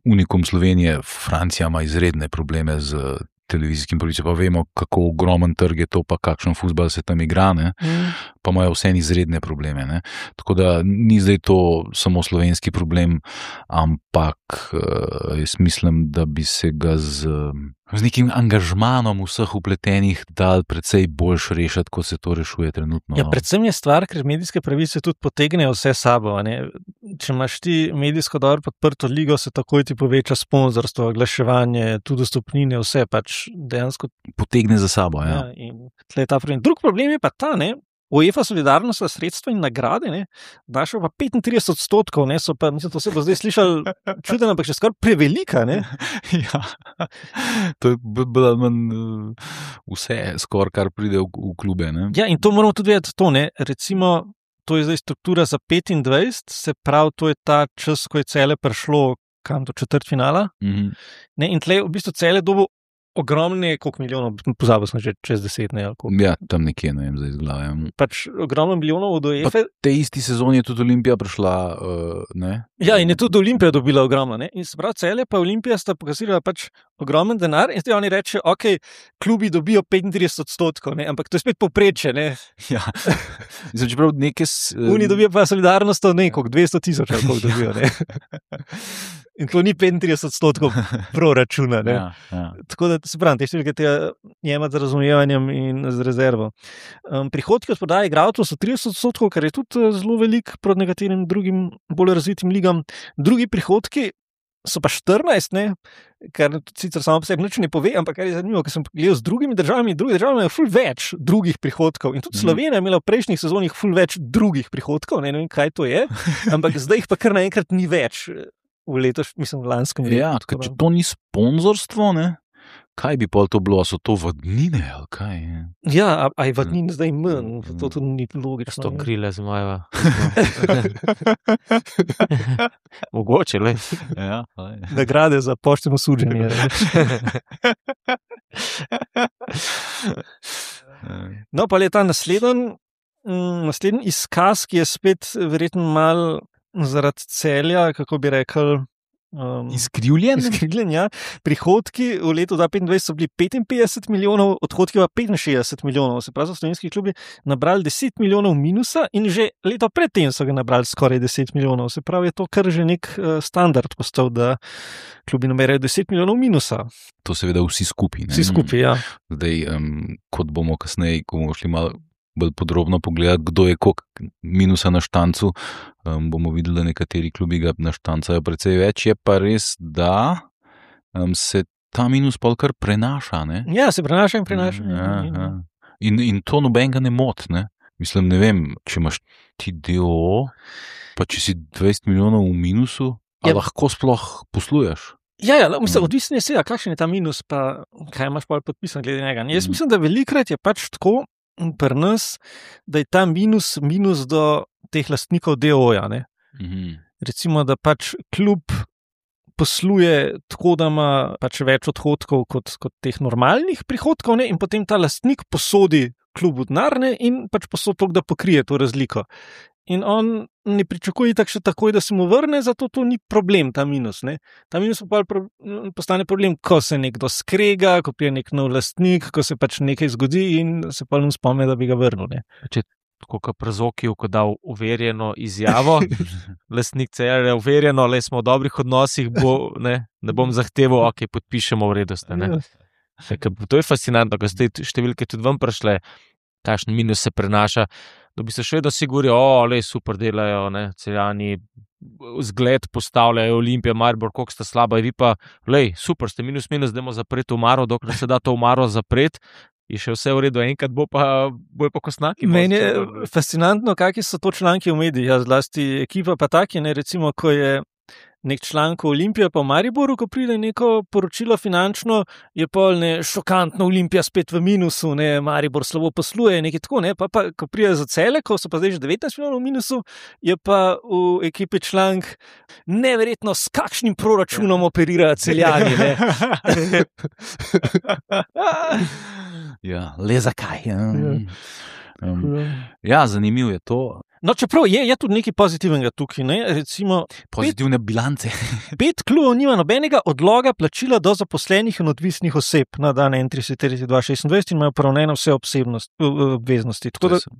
unikum Slovenije, Francija ima izredne probleme z televizijskim pravicam, pa vemo, kako ogromen trg je to, pa kakšen fuzbal se tam igra, ne? Pa imajo vse izredne probleme. Ne? Tako da ni zdaj to samo slovenski problem, ampak jaz mislim, da bi se ga z nekim angažmanom vseh vpletenih dal precej boljš rešiti, kot se to rešuje trenutno. Ja, predvsem je stvar, ker medijske pravice tudi potegnejo vse sabo. Ne? Če imaš ti medijsko dobro podprto ligo, se takoj ti poveča sponzorstvo, oglaševanje, tudi dostopnine, vse pač dejansko potegne za sabo. Ja. In tle je ta problem. Drug problem je pa ta, ne? UEFA solidarnostna sredstva in nagrade, ne, dašo pa 35%, ne, so pa, mislim, to se bo zdaj slišal čudeno, ampak še skoraj prevelika, ne. Ja, to je bilo vse skoraj, kar pride v klube, ne. Ja, in to moramo tudi vedeti, to, ne, recimo, to je zdaj struktura za 25, se pravi, to je ta čas, ko je Celje prišlo kam do četrtfinala, ne, in tle v bistvu Celje dobo ogromne, koliko milijonov, pozabil sem že čez 10, ne, ali koliko. Ja, tam nekje, ne vem, zdaj izglavljam. Pač ogromno milijonov od UEFA. Pa te isti sezoni je tudi Olimpija prišla, ne? Ja, in je tudi Olimpija dobila ogromno, ne? In se pravi, Celje pa Olimpija sta pokazila pač ogromen denar in zdaj oni reče, klubi dobijo 35%, ne? Ampak to je spet povprečje, ne? Ja, mislim, čeprav neke... Oni dobijo pa solidarnost nekog, 200,000, ali koliko dobijo, ne? In to ni 35% proračuna, ne? Ja. Tako da se pravim, te številke tega jemati z razumevanjem in z rezervo. Prihodki od prodaje igralcev so 30%, kar je tudi zelo velik proti nekaterim drugim bolj razvitim ligam. Drugi prihodki so pa 14, ne? Kar sicer samo po sebi nič ne pove, ampak kar je zanimivo, ker sem gledal z drugimi državami, druge države imajo ful več drugih prihodkov in tudi Slovenija je imela v prejšnjih sezonih ful več drugih prihodkov, ne vem, kaj to je, ampak zdaj jih pa kar naenkrat ni več v lanskem letu. Ja, če to ni sponzorstvo, ne? Kaj bi pol to bilo? So to vadnine ali kaj? Ja, a je vadnin zdaj manj? To tudi ni logično. To krile zmajeva. Mogoče, le. Ja, nagrade za pošteno suđenje. No, pa je ta naslednji izkaz, ki je spet verjetno malo zaradi Celja, kako bi rekel, izkrivljen, ja. Prihodki v letu 2025 so bili 55 milijonov, odhodki pa 65 milijonov. Se pravi, so slovenski klubi nabrali 10 milijonov minusa in že leto predtem so ga nabrali skoraj 10 milijonov. Se pravi, je to kar že nek standard postal, da klubi namerajo 10 milijonov minusa. To seveda vsi skupaj. Vsi skupaj, ja. Zdaj, kot bomo kasneje, ko bomo šli malo bolj podrobno pogledati, kdo je koliko minusa na štancu, bomo videli, da nekateri klubi ga naštancajo precej več, je pa res, da se ta minus pol kar prenaša, ne? Ja, se prenaša in prenaša. Ja. In to nobenega ne moti, ne? Mislim, ne vem, če imaš ti DOO, pa če si 20 milijonov v minusu, lahko sploh posluješ. Ja, mislim, odvisno je seveda, kakšen je ta minus, pa kaj imaš pa podpisan glede njega. Jaz mislim, da velikrat je pač tako pri nas, da je ta minus do teh lastnikov DOO-ja, ne. Recimo, da pač klub posluje tako, da ima pač več odhodkov kot teh normalnih prihodkov, ne, in potem ta lastnik posodi klubu denar, ne, in pač posodi toliko, da pokrije to razliko. In on ne pričakuje tako še takoj, da se mu vrne, zato to ni problem, ta minus, ne. Ta minus postane problem, ko se nekdo skrega, ko prije nek nov lastnik, ko se pač nekaj zgodi in se pa ne spomne, da bi ga vrnil, ne. Če tako kot Prezokiju, ko dal uverjeno izjavo, lastnik CR je uverjeno, le smo v dobrih odnosih, ne bom zahteval, ok, podpišemo vrednosti, ne. To je fascinantno, ko ste številke tudi vam prišle, kakšen minus se prenaša, da bi se še vedno sigurijo, super delajo, ne, Celjani, zgled postavljajo, Olimpija, Maribor, koliko sta slaba, vi pa, super, ste minus, dajmo zapreti omaro, dokler se da to omaro zapreti, je še vse v redu, enkrat bo pa kosnaki. Meni je fascinantno, kakšni so to članki v medijih, zlasti ekipa pa taki, ne, recimo, ko je nek članek Olimpija pa v Mariboru, ko pride neko poročilo finančno, je pol šokantno, Olimpija spet v minusu, ne, Maribor slabo posluje, nekaj tako, ne, pa ko pride za Celje, ko so pa zdaj že 19 milijonov v minusu, je pa v ekipi članek neverjetno, s kakšnim proračunom operirajo Celjani, ne. Ja, le zakaj? Ja, zanimivo je to. No, čeprav je tudi nekaj pozitivnega tukaj, ne, recimo... Pozitivne bilance. 5 klubov nima nobenega odloga plačila do zaposlenih in odvisnih oseb na dan 31.3.2026 in imajo poravnane vse obveznosti.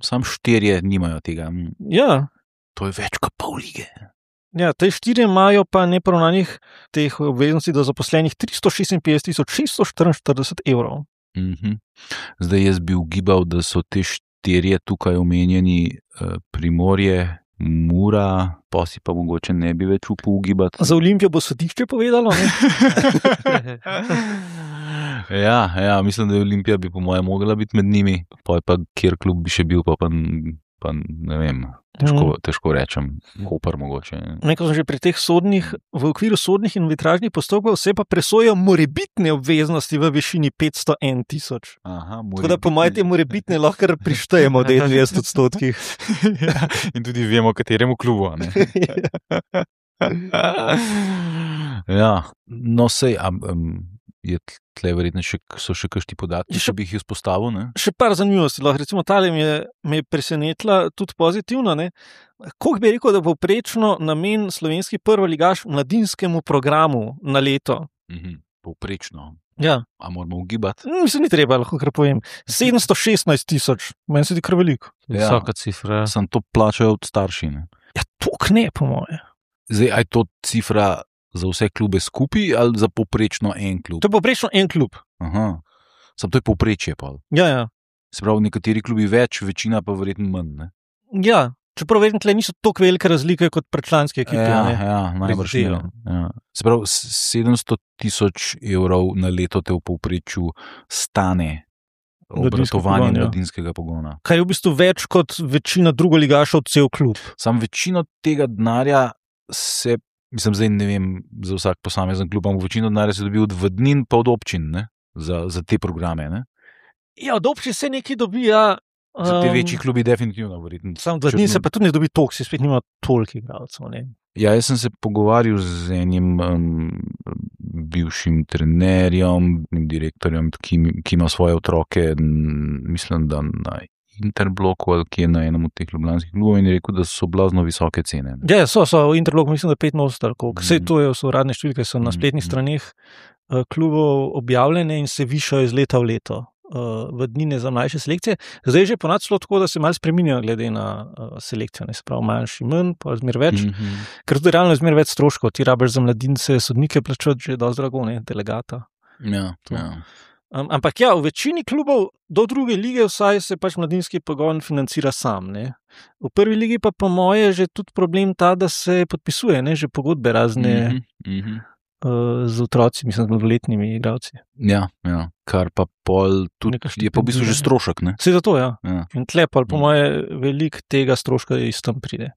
Sam 4 nimajo tega. Ja. To je več kot pol lige. Ja, te 4 imajo pa neporavnanih teh obveznosti do zaposlenih 356.644 evrov. Zdaj jaz bi ugibal, da so te 4 tukaj omenjeni Primorje, Mura, pa si pa mogoče ne bi več upal ugibati. Za Olimpijo bo sodišče povedalo, ne? Ja, mislim, da je Olimpija bi po mojem mogla biti med njimi, pa kjer klub bi še bil, pa ne vem, težko rečem, Koper mogoče. Nekaj sem že pri teh v okviru sodnih in arbitražnih postopkov se pa presojajo morebitne obveznosti v višini 501 tisoč. Tako da po mojem te morebitne lahko prištejemo 90%. Ja, in tudi vemo, kateremu klubu, ne? Ja, no sej, je tle verjetno so še kakšni podatki, če bi jih izpostavil, ne? Še par zanimivosti, recimo tale me je presenetila tudi pozitivno, ne? Koliko bi rekel, da bo povprečno namen slovenski prvoligaš mladinskemu programu na leto? Povprečno? Ja. A moramo ugibati? Mislim, ni treba, lahko kar povem. 716.000, meni se di kar veliko. Visoka cifra. Sem to plačajo od starši, ne? Ja, toliko ne, po moje. Zdaj, aj to cifra za vse klube skupaj ali za povprečno en klub? To je povprečno en klub. Samo to je povprečje pa. Ja. Se pravi, nekateri klubi več, večina pa verjetno manj, ne? Ja, čeprav verjetno tle niso toliko velike razlike kot predčlanske ekipe. Ja, najbrž ne. Ja. Se pravi, 700.000 evrov na leto te v povprečju stane obratovanje mladinskega pogona. Kar je v bistvu več kot večina drugoligašov cel klub. Sam večino tega denarja se, mislim, zdaj ne vem za vsak posamezen klub, ampak večino denarja se dobi od vodnin pa od občin, ne? Za te programe, ne? Ja, od občin se nekaj dobi, ja. Za te večji klubi definitivno verjetno. Sam od vodnin se pa tudi ne dobi toliko, se spet nima toliko igralcev, ne? Ja, jaz sem se pogovarjal z enim bivšim trenerjem, direktorjem, ki ima svoje otroke, mislim, da na Interbloku ali ki je na enem od teh ljubljanskih klubov in je rekel, da so blazno visoke cene. Ja, so v Interbloku, mislim, da 85, vse to so uradne številke, so na spletnih straneh klubov objavljene in se višajo iz leta v leto. V dnine za mlajše selekcije. Zdaj že ponad celo tako, da se malo spreminjajo glede na selekcijo, ne se pravi manjši manj, pa zmer več, ker tudi realno je zmer več stroškov, ti rabiš za mladince sodnike plačati že dosti drago, ne, delegata. Ja. Ampak ja, v večini klubov do druge lige vsaj se pač mladinski pogon financira sam, ne. V prvi ligi pa po moje že tudi problem ta, da se podpisuje, ne, že pogodbe razne z otroci, mislim, z mladoletnimi igralci. Ja, kar pa pol tudi Neka je pa v bistvu že strošek, ne? Vse zato, ja. Ja. In tle pa po moje veliko tega stroška iz tam pride.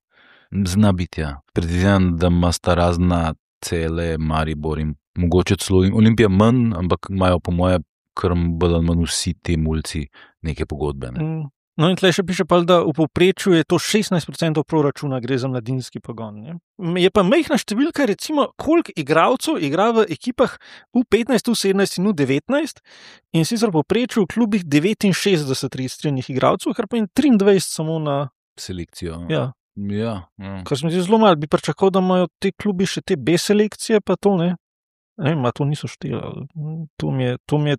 Zna biti, ja. Predvidevam, da ima sta razna Cele, Maribor in mogoče celo Olimpija manj, ampak imajo po moje kar bolj ali manj vsi te mulci neke pogodbe, ne? No in tle še piše pa, da v povprečju je to 16% proračuna, gre za mladinski pogon. Ne? Je pa majhna številka, recimo, koliko igralcev igra v ekipah U15, U17 in U19 in sicer v povprečju v klubih 69 registriranih igralcev, kar pa je 23 samo na Selekcijo. Ja. Ja. Kar se mi zdi zelo malo, bi pričakoval, da imajo te klubi še te B selekcije, pa to ne. Ne vem, to niso šteli.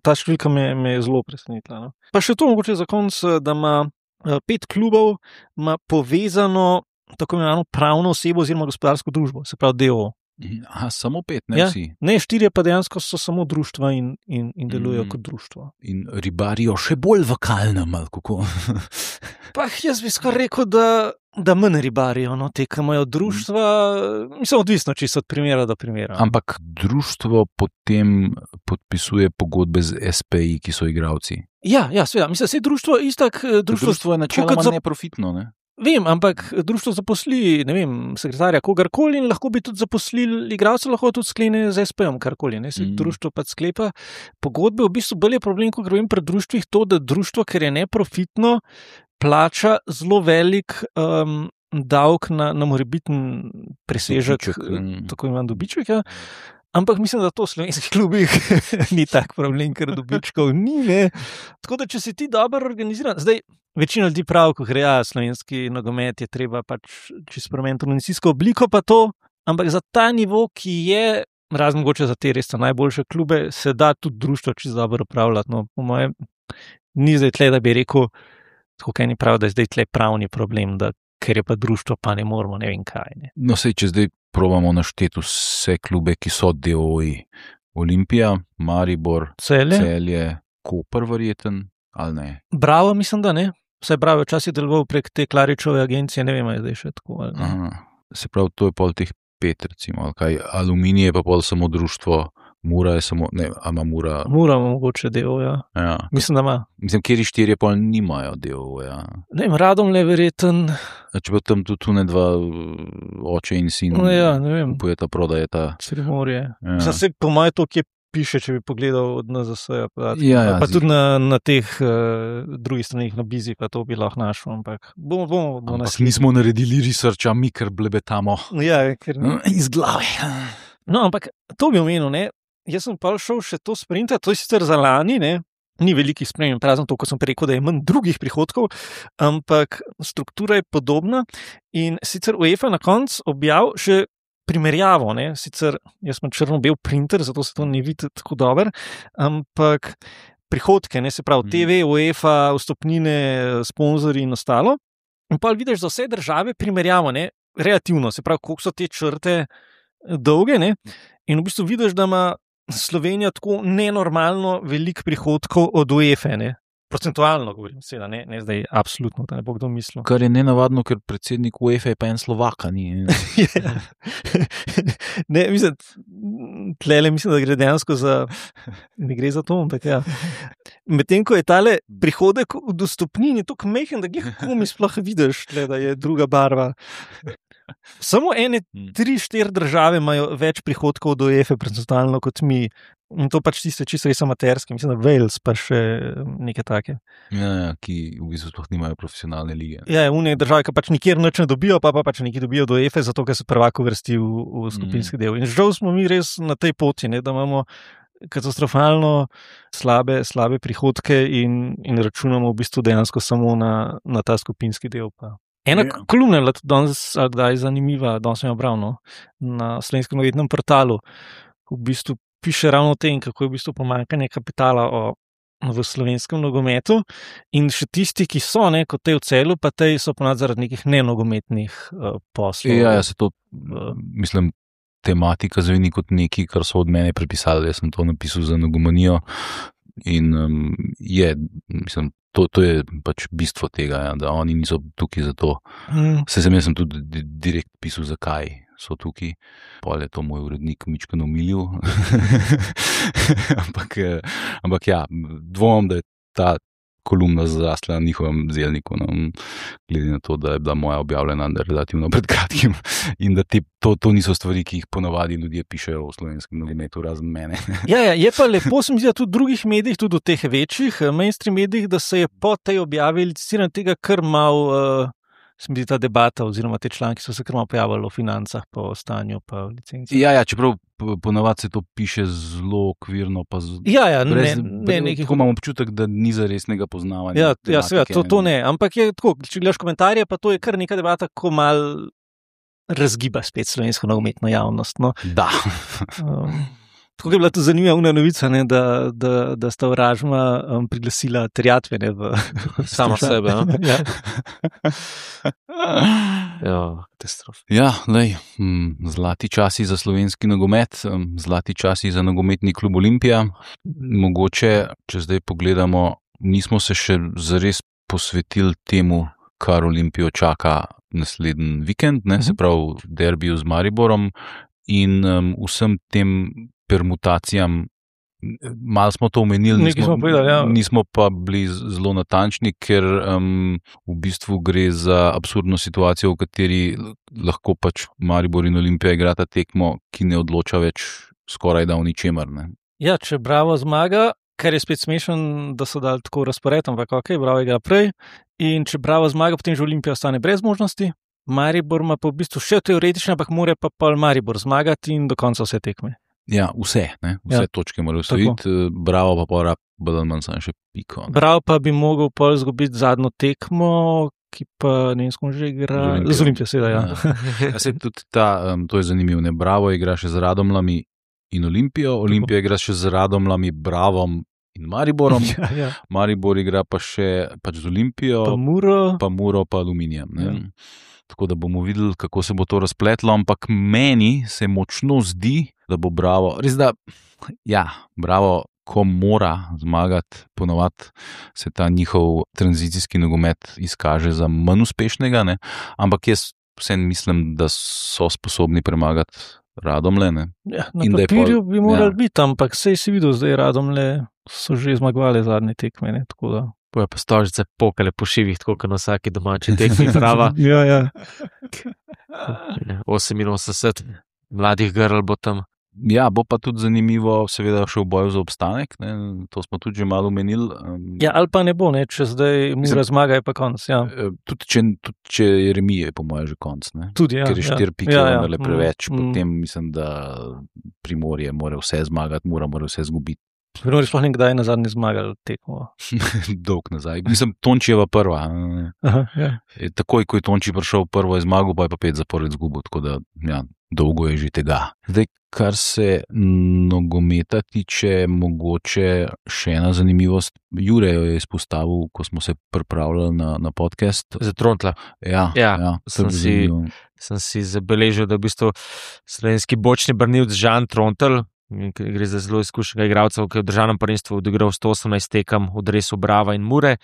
Ta številka me je zelo presenetila. No. Pa še to mogoče za konec, da ima 5 klubov ima povezano tako imenovano pravno osebo oziroma gospodarsko družbo, se pravi DO. Aha, samo 5, ne vsi. Ne, 4 pa dejansko so samo društva in delujejo kot društvo. In ribarijo še bolj v kalnem, ali kako? Pa jaz bi skoraj rekel, da manj ribarijo, no, te, ki imajo društva, mislim, odvisno, če so od primera do primera. Ampak društvo potem podpisuje pogodbe z SPI, ki so igralci. Ja, seveda, mislim, se društvo istak... Društvo je načeloma neprofitno, ne? Vem, ampak društvo zaposli, ne vem, sekretarja kogarkoli in lahko bi tudi zaposlili igralce, lahko tudi sklene z SPM karkoli, ne, se društvo pa sklepa pogodbe, v bistvu bolj je problem, ko govorim pri društvih, to, da društvo, ker je neprofitno, plača zelo velik davek na morebiten presežek, tako imam dobiček, ja. Ampak mislim, da to v slovenskih klubih ni tak problem, ker dobičkov ni, ne. Tako da, če si ti dobro organiziran, zdaj, večina ljudi pravi, ko gre, slovenski nogomet je treba pač čisto spremeniti organizacijsko obliko, pa to, ampak za ta nivo, ki je, razen mogoče za te res najboljše klube, se da tudi društvo čisto dobro upravljati. No, po mojem, ni zdaj tle, da bi rekel, tako kaj ni prav, da je zdaj tle pravni problem, da ker je pa društvo, pa ne moramo, ne vem kaj. Ne. No, sej, če zdaj probamo našteti vse klube, ki so DOI. Olimpija, Maribor, Celje, Koper verjeten, ali ne? Bravo, mislim, da ne. Vse Bravo včasih deloval prek te Klaričove agencije, ne vem, je zdaj še tako. Ali ne. Aha, se pravi, to je pol teh 5, recimo, ali kaj. Aluminij je pa pol samo društvo, Mura je samo, ne, ama Mura... Mura mogoče DO, ja. Mislim, da ima. Mislim, kjeri 4 pol nimajo DO, ja. Ne vem, Radomlje verjeten. Če pa tam tudi ne dva oče in sin. No, ja, ne vem. Kupujeta, prodajeta. Primorje. Ja. Mislim, se po moje to, ki piše, če bi pogledal od NZS-ja. Pa tudi na teh drugih stranih na Bizi, pa to bi lahko našel, ampak bomo ampak nismo naredili researcha, mi kar blebetamo. Ja, ker iz glave. No, ampak to bi omenil, ne. Jaz sem pa šel še to sprintati, to je sicer za lani, ne. Ni velikih sprememb, razen to, ko sem rekel, da je manj drugih prihodkov, ampak struktura je podobna in sicer UEFA na koncu objavil še primerjavo, ne, sicer jaz sem črno-bel printer, zato se to ne vidi tako dobro, ampak prihodke, ne, se pravi TV, UEFA, vstopnine, sponzorji in ostalo. In pa vidiš za vse države primerjavo, ne, relativno, se pravi, koliko so te črte dolge, ne, in v bistvu vidiš, da ima Slovenija tako nenormalno velik prihodkov od UEFA, ne. Procentualno govorim, seveda, ne zdaj absolutno, da ne bo kdo mislil. Kar je nenavadno, ker predsednik UEFA je pa en Slovaka, ni. Ne, mislim, tlele mislim, da gre dejansko ne gre za to, ampak ja. Medtem, ko je tale prihodek v dostopnini tako majhen, da komi sploh vidiš, tle, da je druga barva. Samo 3-4 države imajo več prihodkov do UEFA procentualno kot mi. In to pač tiste čisto res amaterske, mislim, da Wales pa še neke take. Ja, ki v bistvu sploh nimajo profesionalne lige. Ja, une države, ki pač nikjer nič ne dobijo, pa pač nekaj dobijo do UEFA, zato ker se prvak uvrsti v skupinski del. In žal smo mi res na tej poti, ne, da imamo katastrofalno slabe prihodke in računamo v bistvu dejansko samo na ta skupinski del. Pa. Ena kolumna je bila tudi danes, kdaj zanimiva, danes sem jo bral, no, na slovenskem novinarjem portalu. V bistvu piše ravno o tem, kako je v bistvu pomanjkanje kapitala v slovenskem nogometu in še tisti, ki so, ne, kot tej v Celju, pa tej so ponad zaradi nekih nenogometnih poslov. Ja, se to, mislim, tematika zveni kot nekaj, kar so od mene prepisali, jaz sem to napisal za nogomanijo in mislim, to je pač bistvo tega, ja, da oni niso tukaj za to. Jaz sem tudi direkt pisal, zakaj so tukaj. Pol je to moj urednik mičkeno omilil. ampak ja, dvomim, da je ta kolumna zrasla na njihovem zelniku, no, glede na to, da je bila moja objavljena relativno pred kratkim in da to niso stvari, ki jih ponavadi ljudje pišejo v slovenskem nogometu, razen mene. Ja, je pa lepo, se mi zdi, da tudi v drugih medijih, tudi v teh večjih mainstream medijih, da se je po tej objavi licitirano tega kar mal, se mi zdi ta debata oziroma te članki so se kar malo pojavili o financah, po stanju, pa licenci. Ja, čeprav ponavadi se to piše zelo okvirno, pa tako imam občutek, da ni za resnega poznavanja. Ja, seveda, to ne, ampak je tako, če gledaš komentarje, pa to je kar neka debata, ko mal razgiba spet slovensko nogometno javnost. No. Da. Tako je bila to zanimiva novica, ne, da sta Oražma priglasila terjatve v samo sebe. Ja. Katastrofa. Ja, zlati časi za slovenski nogomet, zlati časi za nogometni klub Olimpija. Mogoče, če zdaj pogledamo, nismo se še zares posvetili temu, kar Olimpijo čaka naslednji vikend, ne, se pravi derbiju z Mariborom in vsem tem permutacijam. Malo smo to omenili, nismo pa bili zelo natančni, ker v bistvu gre za absurdno situacijo, v kateri lahko pač Maribor in Olimpija igrata tekmo, ki ne odloča več skoraj da v ničemer. Ne. Ja, če Bravo zmaga, ker je spet smešen, da so dali tako razpored, ampak Bravo igra prej, in če Bravo zmaga, potem že Olimpija ostane brez možnosti. Maribor ima pa v bistvu še teoretično, ampak mora pa pol Maribor zmagati in do konca vse tekme. Ja, vse točke morajo osvojiti, Bravo pa pora bolj manj samo še piko. Ne. Bravo pa bi mogel pol izgubiti zadnjo tekmo, ki pa ne vem, s kom že igra. Z Olimpijo, seveda, ja. Ja, tudi to je zanimivo, ne. Bravo igra še z Radomljami in Olimpijo, Olimpija igra še z Radomljami, Bravom in Mariborom, ja. Maribor igra pa še pač z Olimpijo, pa Muro, pa Aluminijem. Ne. Ja. Tako da bomo videli, kako se bo to razpletlo, ampak meni se močno zdi, da bo Bravo, res da, ja, Bravo, ko mora zmagati, ponovadi se ta njihov tranzicijski nogomet izkaže za manj uspešnega, ne? Ampak jaz vsem mislim, da so sposobni premagati Radomlje. Ne? Ja, na papirju bi morali biti, ampak sej si videl, zdaj Radomlje so že zmagovali zadnje tekme, ne? Tako da. Bojo pa stožice pokale po šivih, tako kot na vsaki domači tekmi Brava. Ja. 88 mladih grl bo tam. Ja, bo pa tudi zanimivo, seveda še v boju za obstanek, ne? To smo tudi že malo omenili. Ja, ali pa ne bo, ne? Če zdaj Mura zmaga, je pa konc. Ja. Tudi če je remije, po moje že konc. Ne? Tudi, ja. Ker je 4 pike preveč, potem mislim, da Primorje mora vse zmagati, Mura mora vse zgubiti. Primorje sploh nekdaj na zadnji zmagali tekmo. Dolg nazaj. Mislim, Tončijeva prva. Aha, ja. Takoj, ko je Tonči prišel prvo je zmagal, pa je pa 5 zapored zgubil, tako da ja, dolgo je že tega. Zdaj, kar se nogometa tiče, mogoče še ena zanimivost. Jure jo je izpostavil, ko smo se pripravljali na podcast. Za Trontla. Ja, sem si zabeležil, da v bistvu slovenski bočni branilec Žan Trontel, gre za zelo izkušenega igralca, ki je v državnem prvenstvu odigral 118 tekem v dresu Brava in Mure.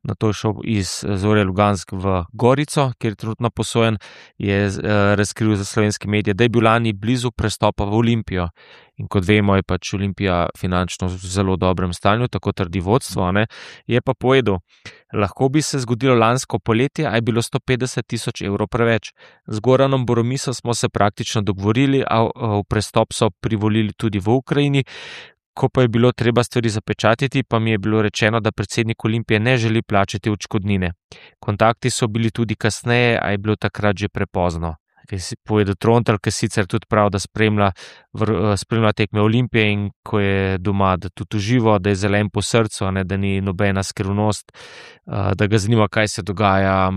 Nato je šel iz Zorja Lugansk v Gorico, kjer je trenutno posojen, je razkril za slovenske medije, da je bil lani blizu prestopa v Olimpijo. In kot vemo, je pač Olimpija finančno v zelo dobrem stanju, tako trdi vodstvo, ne? Je pa povedal, lahko bi se zgodilo lansko poletje, a je bilo 150 000 evrov preveč. Z Goranom Boromiso smo se praktično dogovorili, a v prestop so privolili tudi v Ukrajini. Ko pa je bilo treba stvari zapečatiti, pa mi je bilo rečeno, da predsednik Olimpije ne želi plačati odškodnine. Kontakti so bili tudi kasneje, a je bilo takrat že prepozno. Kaj si povedal Trontel, ki sicer tudi prav, da spremlja tekme Olimpije in ko je doma, da tudi uživa, da je zelen po srcu, ne, da ni nobena skrivnost, da ga zanima, kaj se dogaja.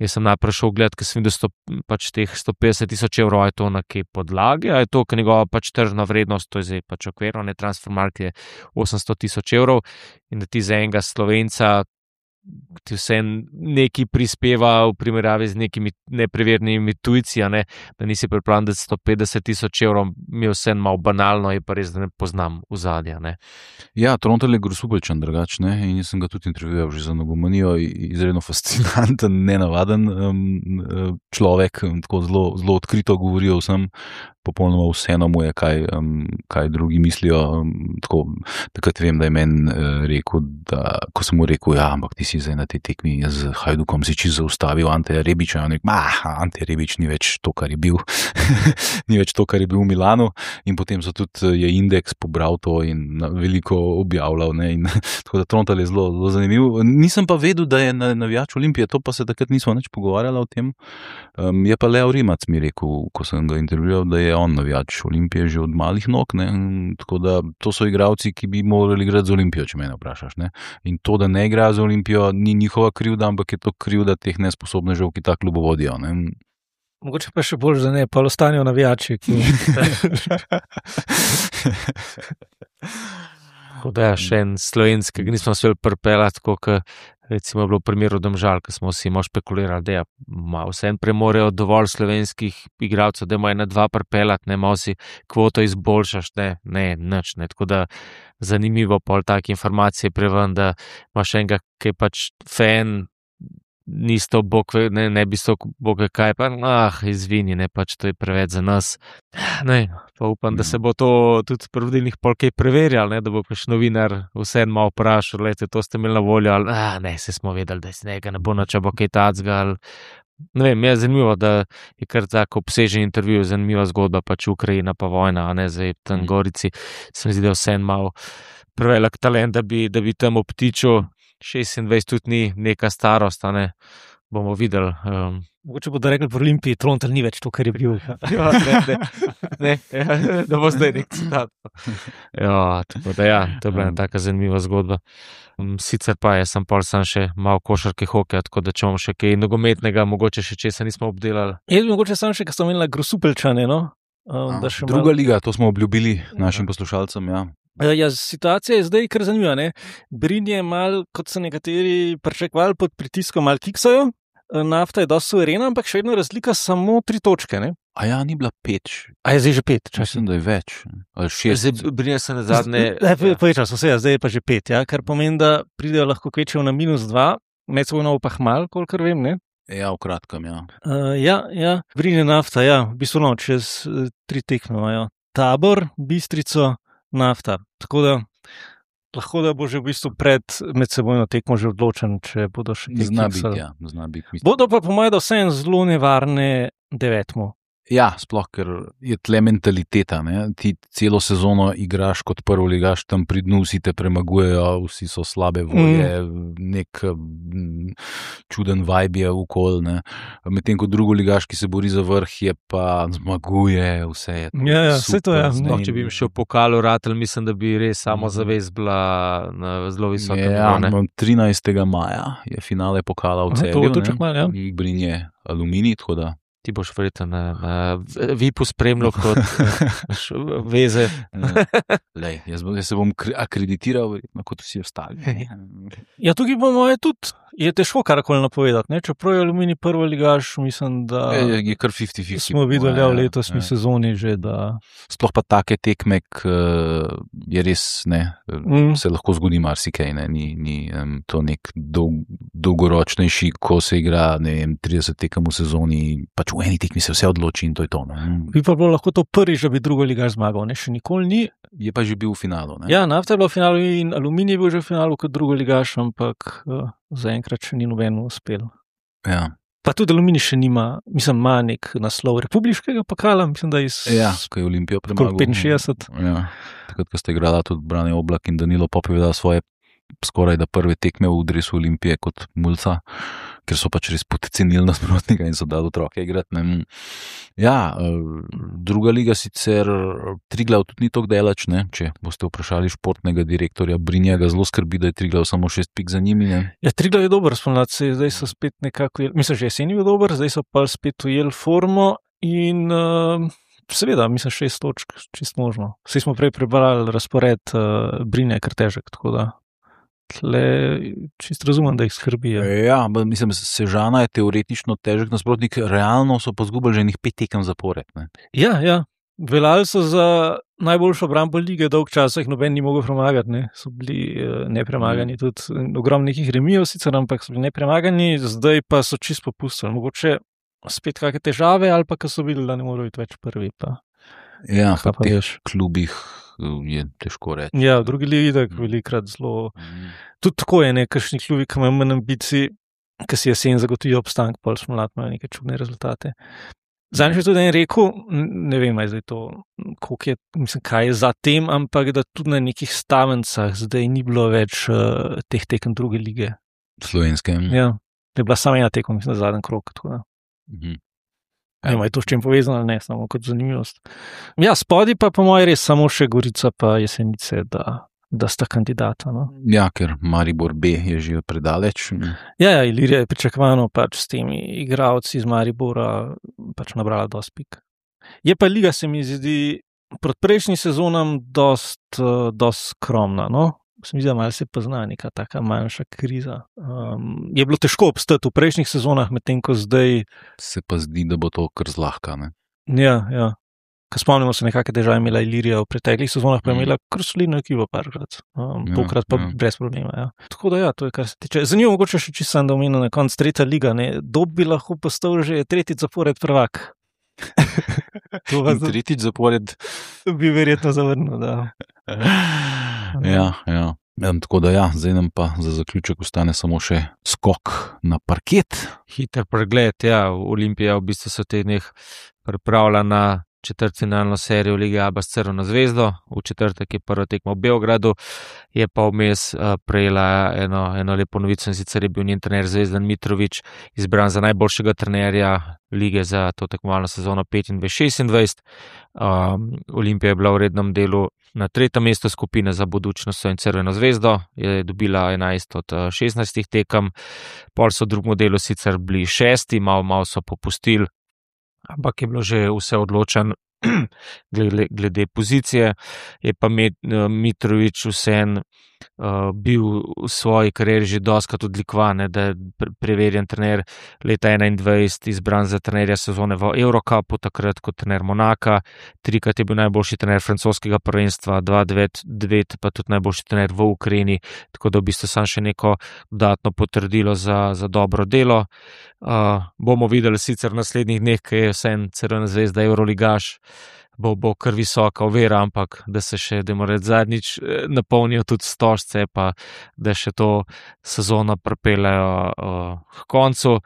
Jaz sem najprej šel gledati, ker sem videl pač teh 150 000 evrov, je to na kje podlagi, a je to, ker njegova pač tržna vrednost, to je zdaj pač okvirno, ne, transfermarkt je 800 000 evrov in da ti za enega Slovenca ti vse nekaj prispeva v primerjavi z nekimi neprevernimi tujci, ne? Da nisi pripravljen, da 150,000 evrov mi je vse malo banalno, je pa res, da ne poznam ozadja. Ja, Trontelj je grosupelčen drugač, ne, in jaz sem ga tudi intervjuval že za Nogomanijo, izredno fascinanten, nenavaden človek, tako zelo odkrito govori o vsem, popolnoma vseeno mu je, kaj drugi mislijo. Takrat vem, da je meni rekel, da ko sem mu rekel, ja, ampak ti si zdaj na tej tekmi z Hajdukom si čisto zaustavil Anteja Rebiča, in rekel, Ante Rebič ni več to, kar je bil, ni več to, kar je bil v Milanu, in potem so tudi je Indeks pobral to in veliko objavljal, ne, in tako da Trontelj je zelo zanimiv. Nisem pa vedel, da je navijač Olimpije, to pa se takrat nismo nič pogovarjali o tem. Je pa Leo Rimac mi rekel, ko sem ga intervjuval, da je on navijač Olimpije že od malih nog, ne, tako da to so igralci, ki bi morali igrati za Olimpijo, če mene vprašaš, ne. In to, da ne igrajo za Olimpijo, ni njihova krivda, ampak je to krivda teh nesposobnežev, ki ta klub vodijo, ne. Mogoče pa še bolj, da ne, pa ostanejo navijači. Tako da še en slovenski, ki nismo se pripeljati, tako kot recimo je bilo v primeru Domžal, ko smo vsi špekulirali, da malo vse en premorejo dovolj slovenskih igralcev, da ima 1-2 pripeljati, ne, malo si kvoto izboljšaš, ne, nič, ne, tako da zanimivo pol take informacije preven, da imaš enega, ki je pač fan, ni sto bog, ne bi sto bog kaj, pa izvini, ne, pač to je preveč za nas. Ne, pa upam, da se bo to tudi pri vodilnih pol kaj preverjal, ne, da bo pač novinar vseeno malo vprašal, lejte, to ste imeli na voljo, ali ne, se smo vedeli, da se nekaj ne bo nič, bo kaj tacga, ali ne vem, je zanimivo, da je kar tako obsežen intervju, zanimiva zgodba, pač Ukrajina pa vojna, a ne, zdaj tam Gorici, se mi zdi, da vseeno malo prevelik talent, da bi tam obtičil. 26 tudi ni neka starost, ne, bomo videli. Mogoče bodo rekli v Olimpiji, Trontelj ni več to, kar je bil. Ja, ne, da bo zdaj nek citat. Ja, tako da ja, to je bila taka zanimiva zgodba. Sicer pa jaz sem pol sam še malo košarke hokeja, tako da če imamo še kaj nogometnega, mogoče še česa nismo obdelali. Mogoče sam še, ko smo imeli Grosupeljčane, no? Druga liga, to smo obljubili našim poslušalcem, ja. Ja, situacija je zdaj kar zanimiva, ne. Brin je malo, kot so nekateri pričakovali, pod pritiskom malo kiksajo, Nafta je dosti suverena, ampak še vedno razlika samo 3 točke, ne. A ja, ni bila 5. A je zdaj že 5? Mislim, da je več. Ali 6. Zdaj Brin se na zadnje... Povečal so se, zdaj je pa že 5, ja, kar pomeni, da pridejo lahko kvečejo na -2, med seboj pa hmal, kolikor vem, ne. Ja, v kratkem, ja. Ja, Brin je Nafta, ja, v bistvu no, čez 3 tekme imajo. Tabor, Bistrico, Nafta. Tako da lahko da bo že v bistvu pred medsebojno tekmo že odločen, če bodo še kaj kiksali. Zna biti. Bodo pa po mojem, da vseeno zelo nevarne 9. Ja, sploh, ker je tle mentaliteta, ne. Ti celo sezono igraš kot prvoligaš, tam pri dnu vsi te premagujejo, vsi so slabe volje, nek čuden vibe je okoli, ne. Medtem ko drugoligaš, ki se bori za vrh, je pa zmaguje, vse je to. Ja, vse to je. Sploh, če bi jim še v pokalu ratel, mislim, da bi res samozavest bila na zelo visokem nivoju. 13. maja je finale pokala v Celju, ne. Jih Brin je Aluminij, tako da ti boš verjetno na VIP-u spremljal kot veze. Lej, jaz se bom akreditiral, kot vsi ostali. Ja, tukaj po moje tudi je težko karkoli napovedati, ne? Čeprav je Aluminij prvoligaš, mislim, da je kar 50-50. Smo videli v letosni sezoni že, da sploh pa take tekme, je res, ne, se lahko zgodi marsikaj, ne, ni to nek dolgoročnejši, ko se igra, ne vem, 30 tekem v sezoni, pač v eni tekmi se vse odloči in to je to, ne. Bi pa bilo lahko to prvič, da bi drugoligaš zmagal, ne, še nikoli ni. Je pa že bil v finalu, ne. Ja, Nafta je bila v finalu in Aluminij je bil že v finalu kot drugoligaš, ampak zaenkrat še ni nobeno uspel. Ja. Pa tudi Aluminij še nima, mislim, ima nek naslov republiškega pokala, mislim, da Ja, ko je Olimpijo premagal. 65. Ja, takrat, ko ste igrala tudi Brane Oblak in Danilo Popovič svoje skoraj da prve tekme v dresu Olimpije kot mulca, ker so pač res podcenili nasprotnika in so dali otroke igrati. Ja, druga liga sicer, Triglav tudi ni tako daleč, ne, če boste vprašali športnega direktorja Brinja, ga zelo skrbi, da je Triglav samo 6 pik za njimi, ne. Ja, Triglav je dober spomladi, zdaj so spet nekako, mislim, že jesen je bil dober, zdaj so pa spet ujeli formo in seveda, mislim, 6 točk, čisto možno. Vsi smo prej prebrali razpored Brinja, je kar težek, tako da tle čist razumem, da jih skrbijo. Ja, mislim, Sežana je teoretično težek nasprotnik, realno so pa zgubili že enih 5 tekem zapored. Ne? Ja. Veljali so za najboljšo obrambo lige, dolg časa jih noben ni mogel premagati, ne. So bili nepremagani, tudi ogromno nekih remijev sicer, ampak so bili nepremagani, zdaj pa so čist popustili. Mogoče spet kakšne težave ali pa ko so videli, da ne morejo biti več prvi. Pa. Ja, Kaj v teh klubih je težko reči. Ja, v drugi ligi tako velikrat zelo. Tudi tako je, kakšni klubi, ki imajo manj ambicij, ki si jesen zagotovijo obstanek, pol smo mlad imajo neke čudne rezultate. Zadnjič je tudi en rekel, ne vem, zdaj to, koliko je, mislim, kaj je za tem, ampak da tudi na nekih Stavencah zdaj ni bilo več teh tekem druge lige. Slovenske. Ja, je bila samo ena tekem, mislim, na zadnji krog. Ne vem, je to s čim povezano, ne, samo kot zanimivost. Ja, spodi pa po moje res samo še Gorica pa Jesenice, da sta kandidata. No? Ja, ker Maribor B je že predaleč. Ja, Ilirija je pričakovano pač s temi igralci iz Maribora pač nabrala dosti pik. Je pa liga, se mi zdi, proti prejšnjim sezonam dost skromna, no? Se mi zdi, da malo se pozna neka taka manjša kriza. Je bilo težko obstati v prejšnjih sezonah, medtem ko zdaj... Se pa zdi, da bo to kar zlahka, ne? Ja. Ko spomnimo se, nekakšne težave imela Ilirija v preteklih sezonah, pa je imela kar solidno ekipo parkrat. Tokrat pa brez problema, ja. Tako da ja, to je kar se tiče. Zanimivo, mogoče še čisto da omenil na konc tretja liga, ne. Dob bi lahko postal že tretjič zapored prvak. Tretjič zapored bi verjetno zavrnil, da. Ja. Tako da ja, zdaj nam pa za zaključek ostane samo še skok na parket. Hiter pregled, ja, Olimpija v bistvu se v teh dneh pripravlja na četrtfinalno serijo Lige ABA s Crveno zvezdo. V četrtek je prva tekma v Beogradu, je pa vmes prejela eno lepo novico, in sicer je bil njen trener Zvezdan Mitrović izbran za najboljšega trenerja lige za to tekmovalno sezono 25-26. Olimpija je bila v rednem delu na 3. mestu skupine za Budućnost in Crveno zvezdo, je dobila 11 od 16 tekem, pol so v drugem delu sicer bili 6, malo so popustili, ampak je bilo že vse odločen glede pozicije. Je pa Mitrović vseeno bil v svoji karieri že dostikrat odlikovan, da je preverjen trener leta 2021, izbran za trenerja sezone v Eurocupu, takrat kot trener Monaka, 3-krat je bil najboljši trener francoskega prvenstva, 2009 pa tudi najboljši trener v Ukrajini, tako da v bistvu sam še neko dodatno potrdilo za dobro delo. Bomo videli sicer v naslednjih dneh, ker je vseeno Crvena zvezda Euroligaš, bo kar visoka ovira, ampak da se še, da mora zadnjič napolnijo tudi stožce, pa da še to sezono pripeljejo k koncu.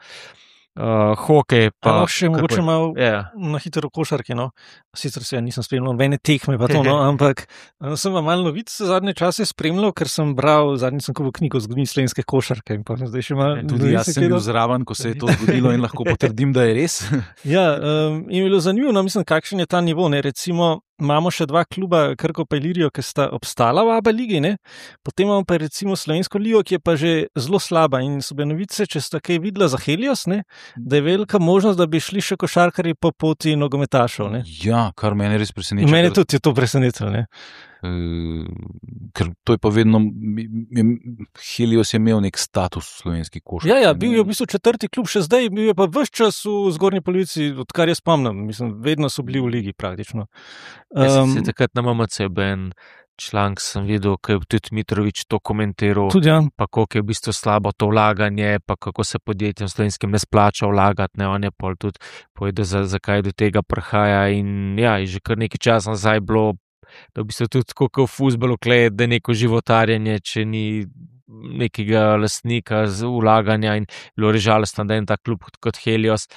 Hokej pa... še mogoče malo na hitro košarki, no. Sicer se nisem spremljal nobene tekme pa to, no, ampak sem vam malo novic zadnje čase spremljal, ker sem bral, zadnjič sem kupil knjigo o zgodovini slovenske košarke in pa zdaj še malo... Tudi jaz sem bil zraven, ko se je to zgodilo in lahko potrdim, da je res. Ja, in je bilo zanimivo, no, mislim, kakšen je ta nivo, ne, recimo imamo še 2 kluba, Krko pa Ilirijo, ki sta obstala v ABA ligi, ne? Potem imamo pa recimo Slovensko ligo, ki je pa že zelo slaba, in so bile novice, če sta kaj videla za Helios, ne? Da je velika možnost, da bi šli še košarkarji po poti nogometašev, ne? Ja, kar mene res preseneča. Mene tudi je to presenetilo, ne? Ker to je pa vedno, Helios je imel nek status v slovenski košarki. Ja, bil je v bistvu 4. klub, še zdaj bil je pa ves čas v zgornji polovici, odkar jaz spomnim, mislim, vedno so bili v ligi praktično. Jaz sem takrat na MMC en članek sem videl, ko je tudi Mitrović to komentiral, tudi, ja. Pa koliko je v bistvu slabo to vlaganje, pa kako se podjetjem slovenskim ne splača vlagati, ne, on je pol tudi povedal, zakaj do tega prihaja, in ja, je že kar nekaj časa nazaj bilo, da v bistvu tudi tako kot v fuzbalu, da je neko životarjenje, če ni nekega lastnika z vlaganja, in bilo je žalostno, da je en tak klub kot Helios,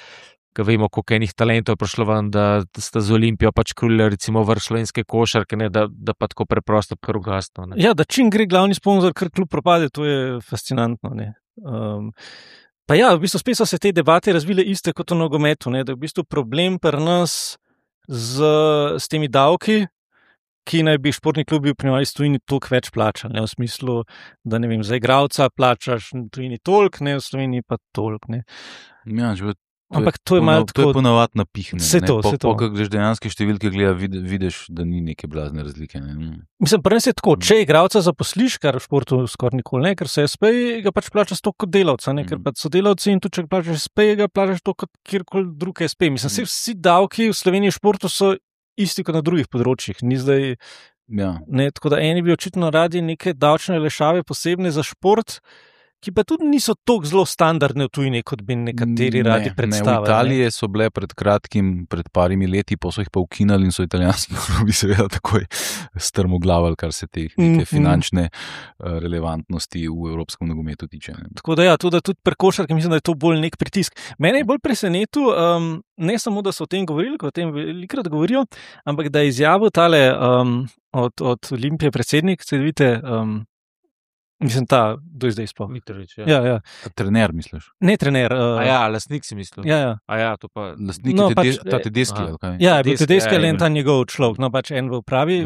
ko vemo, koliko enih talentov je prišlo ven, da sta z Olimpijo pač krulili recimo vrh slovenske košarke, ne, da pa tako preprosto kar ugasno. Ja, da čim gre glavni sponzor, kar klub propade, to je fascinantno, ne. Pa ja, v bistvu spet so se te debate razvile iste kot v nogometu, ne, da je v bistvu problem pri nas s temi davki, ki naj bi športni klubi v primerjavi s tujini toliko več plačali, ne, v smislu, da ne vem, za igralca plačaš v tujini toliko, ne, v Sloveniji pa toliko, ne. Ja, Ampak to je malo To je tako. ponavadi napihnjeno. Saj to, saj to. Ko greš dejanske številke gleda, vidiš, da ni neke blazne razlike. Ne. Mislim, prvi je tako, če igralca zaposliš, kar v športu skoraj nikoli ne, ker se SP ga pač plačaš to kot delavca, ne, ker pač so delavci in tudi če ga plačaš SP, ga plačaš to kot kjerkoli drug SP. Mislim, vsi davki v Sloveniji v športu so isti kot na drugih področjih. Ni zdaj, ne, tako da eni bi očitno radi neke davčne olajšave posebne za šport, ki pa tudi niso tako zelo standardne v tujini, kot bi nekateri radi predstavljali. V Italiji so bile pred kratkim, pred parimi leti, pa so jih pa ukinali in so italijanski klubi seveda takoj strmoglavali, kar se te finančne relevantnosti v evropskem nogometu tiče. Ne. Tako da ja, tudi pri košarki mislim, da je to bolj nek pritisk. Mene je bolj presenetil, ne samo, da so o tem govorili, ko o tem velikrat govorijo, ampak da je izjavil tale od Olimpije predsednik, se vidite, mislim, do zdaj sploh. Mitrović, ja. Trener, misliš? Ne trener. Lastnik si mislil. Ja. To pa... Lastnik ta Tedeschi, ali kaj? Ja, bil Tedeschi, ali ta njegov človek, no pač en v upravi,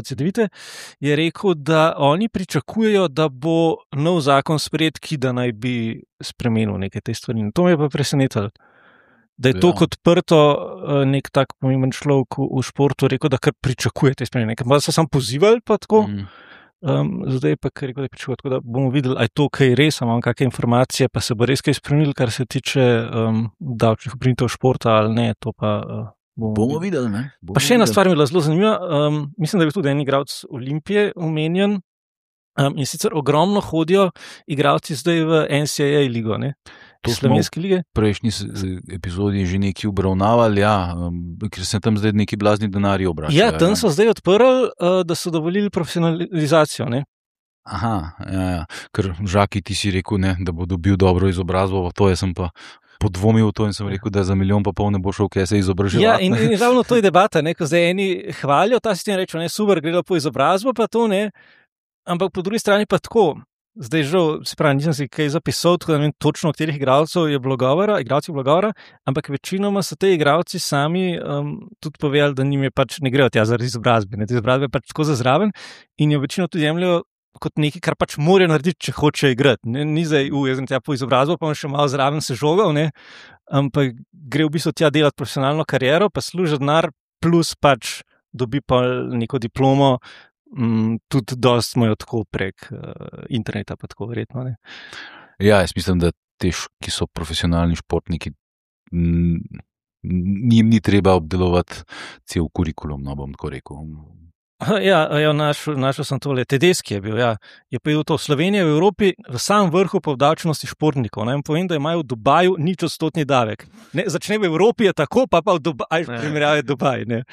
CDVite, je rekel, da oni pričakujejo, da bo nov zakon sprejet, ki da naj bi spremenil neke te stvari. To me je pa presenetilo. Da je to kot prto nek tak pomemben človek v športu rekel, da kar pričakuje te spremembe. Pa so samo pozivali pa tako. Zdaj pa kar rekel, da pričakuje, tako da bomo videli, ali je to kaj res, imamo kakšne informacije, pa se bo res kaj spremenil, kar se tiče davčnih obremenitev športa ali ne, to pa bomo videli. Ne? Pa še ena stvar mi je bila zelo zanimiva, mislim, da je tudi en igralec Olimpije omenjen, in sicer ogromno hodijo igralci zdaj v NCAA ligo, ne? Slovenske lige. V prejšnji epizodi že nekaj obravnavali, ker se tam zdaj neki blazni denarji obračajo. Ja, tam so zdaj odprli, da so dovolili profesionalizacijo. Ne? Aha, ker Žaki, ti si rekel, ne, da bo dobil dobro izobrazbo, to jaz sem pa podvomil v to in sem rekel, da za 1,5 milijona ne bo šel, kaj se izobraževati. Ja, in ravno to je debata, ne, ko zdaj eni hvalijo ta sistem, rečejo, ne, super, gre po izobrazbo, pa to ne, ampak po drugi strani pa tako. Zdaj žal, se pravi, nisem si kaj zapisal, tako da ne vem točno, o katerih igralcev je bilo govora, ampak večinoma so te igralci sami tudi povedali, da njim je pač ne grejo tja zaradi izobrazbe. Te izobrazbe pač tako za zraven in jo večino tudi jemljajo kot nekaj, kar pač morajo narediti, če hočejo igrati. Ni zdaj, jaz sem tja po izobrazbo, pa bom še malo zraven se žogal, ne? Ampak gre v bistvu tja delati profesionalno kariero, pa služi denar, plus pač dobi pa neko diplomo, tudi dosti smo jo tako prek interneta, pa tako verjetno. Ne? Ja, jaz mislim, da te, ki so profesionalni športniki, njim ni treba obdelovati cel kurikulum, no bom tako rekel. Ja, našel sem tole. Tedeschi je bil, ja. Je pa to Slovenija v Evropi v samem vrhu po obdavčenosti športnikov. Naj vam povem, da imajo v Dubaju 0% davek. Ne, začne v Evropi je tako, pa v Dubaju, primerjave Dubaj. Ne.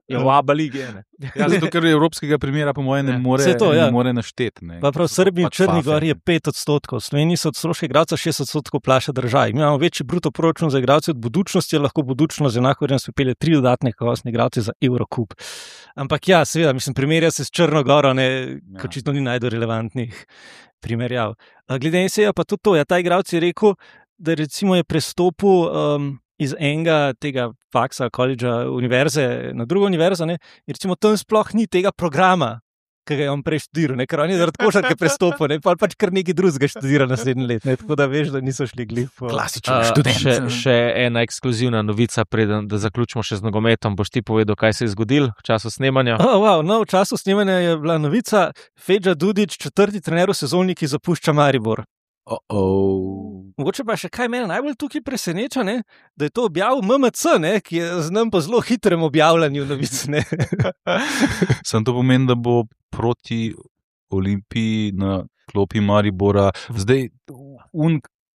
Je v ABA lige. Ja, zato, ker evropskega primera po mojem ne more našteti. Pa prav v Srbiji in Črni Gori je 5%. V Sloveniji so od stroških igralcev 6% plača država. Mi imamo večji bruto proračun za igralce od Budućnosti, lahko Budućnost enako vrednost pripelje 3 dodatne kakovostne igralce za Eurocup. Ampak ja, seveda, mislim, primerja se s Črno Goro, ko očitno ni najbolj relevantnih primerjav. Glede NCAA pa tudi to, ta igralec je rekel, da recimo je prestopil iz enega tega faksa, koledža, univerze na drugo univerzo, ne, in recimo tam sploh ni tega programa, ki ga je on prej študiral, ker on je zaradi košarke prestopil, ne, pa pač kar nekaj drugega študira naslednji let, ne, tako da veš, da niso šli glih po... Klasičen študent. Še ena ekskluzivna novica, preden da zaključimo še z nogometom, boš ti povedal, kaj se je zgodil v času snemanja? V času snemanja je bila novica, Feđa Dudić, 4. trener v sezoni, ki zapušča Maribor. Mogoče pa še kaj mene najbolj tukaj preseneča, ne? Da je to objavil MMC, ne? Ki je znam po zelo hitrem objavljanju novic. Sam to pomeni, da bo proti Olimpiji na klopi Maribora. Zdaj,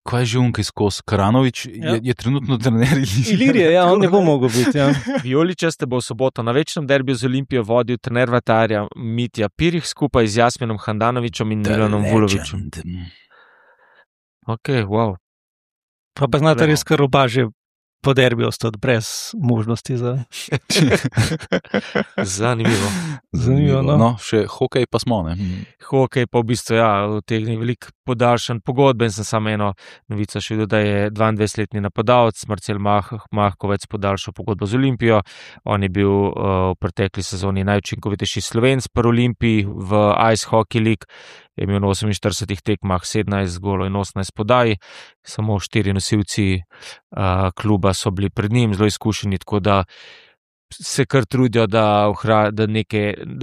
kaj je že ki skozi Karanović, je trenutno trener Ilirije, on ne bo mogel biti. Ja. Vijoličaste bo v soboto na večnem derbiju z Olimpijo vodil trener vratarja Mitja Pirih skupaj z Jasminom Handanovićem in Milanom Vulovićem. Ok, wow. Pa znate res, kar oba že po derbiju ostati brez možnosti za... Zanimivo. No. Še hokej pa smo, ne? Hokej pa v bistvu, vtegne veliko podaljšan pogodbe in sem samo eno novico še videl, da je 22-letni napadalec Marcel Mahkovec podaljšal pogodbo z Olimpijo. On je bil v pretekli sezoni najučinkovitejši Slovenc pri Olimpiji v Ice Hockey League je imel na 48 tekmah 17 golov in 18 podaj, samo 4 nosilci kluba so bili pred njim, zelo izkušeni, tako da se kar trudijo, da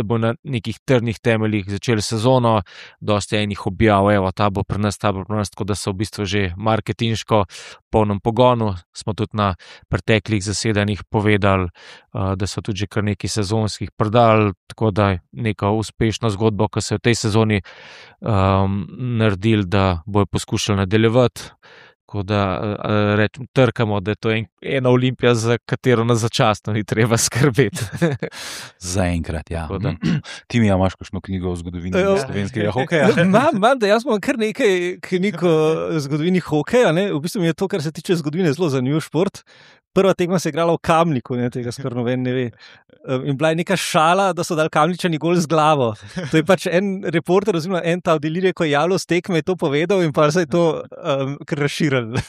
bo na nekih trdnih temeljih začeli sezono, dosti enih objav, evo, ta bo pri nas, tako da so v bistvu že marketinško polnem pogonu. Smo tudi na preteklih zasedanjih povedali, da so tudi že kar nekaj sezonskih prodali, tako da je neka uspešna zgodba, ki se je v tej sezoni naredili, da bojo poskušali nadaljevati. Tako da trkamo, da je to ena Olimpija, za katero nas začasno ni treba skrbeti. Zaenkrat, ja. Ti mi imaš kakšno knjigo o zgodovini slovenskega hokeja? Imam, da jaz imam kar nekaj knjig o zgodovini hokeja. V bistvu mi je to, kar se tiče zgodovine, zelo zanimiv šport. Prva tekma se je igrala v Kamniku, tega skoraj noben ne ve. In bila je neka šala, da so dali Kamničani gol z glavo. To je pač en reporter, oziroma en ta oddelirje, ko je javljal s tekme, je to povedal in pa se je to kar razširilo.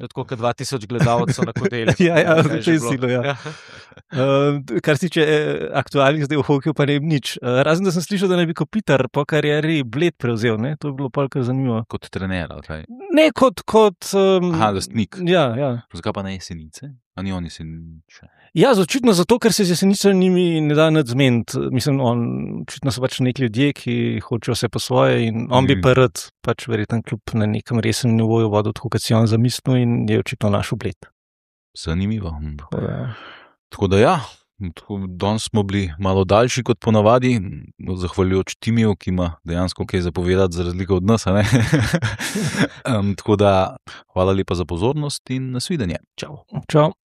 Tako kot 2000 gledalcev na kodeli. Ja, to je silo, ja. Kar se tiče aktualnih zdaj v hokeju, pa ne vem nič. Razen, da sem slišal, da ne bi Kopitar po karieri Bled prevzel, ne? To je bilo pa kar zanimivo. Kot trener, ali kaj? Ne, kot lastnik. Ja. Zakaj pa ne Jesenice? A ni on Jesenice? Ja, očitno zato, ker se z Jesenicami ne da nič zmeniti. Mislim, očitno so pač neki ljudje, ki hočejo vse po svoje in on bi pa rad pač verjetno kljub na nekem resnem nivoju vodil tako, kot si on zamislil in je očitno našel Bled. Zanimivo. Tako da ja, danes smo bili malo daljši kot ponavadi, zahvaljujoč Timiju, ki ima dejansko kaj zapovedati za razliko od nas. Tako da hvala lepa za pozornost in nasvidenje. Čau.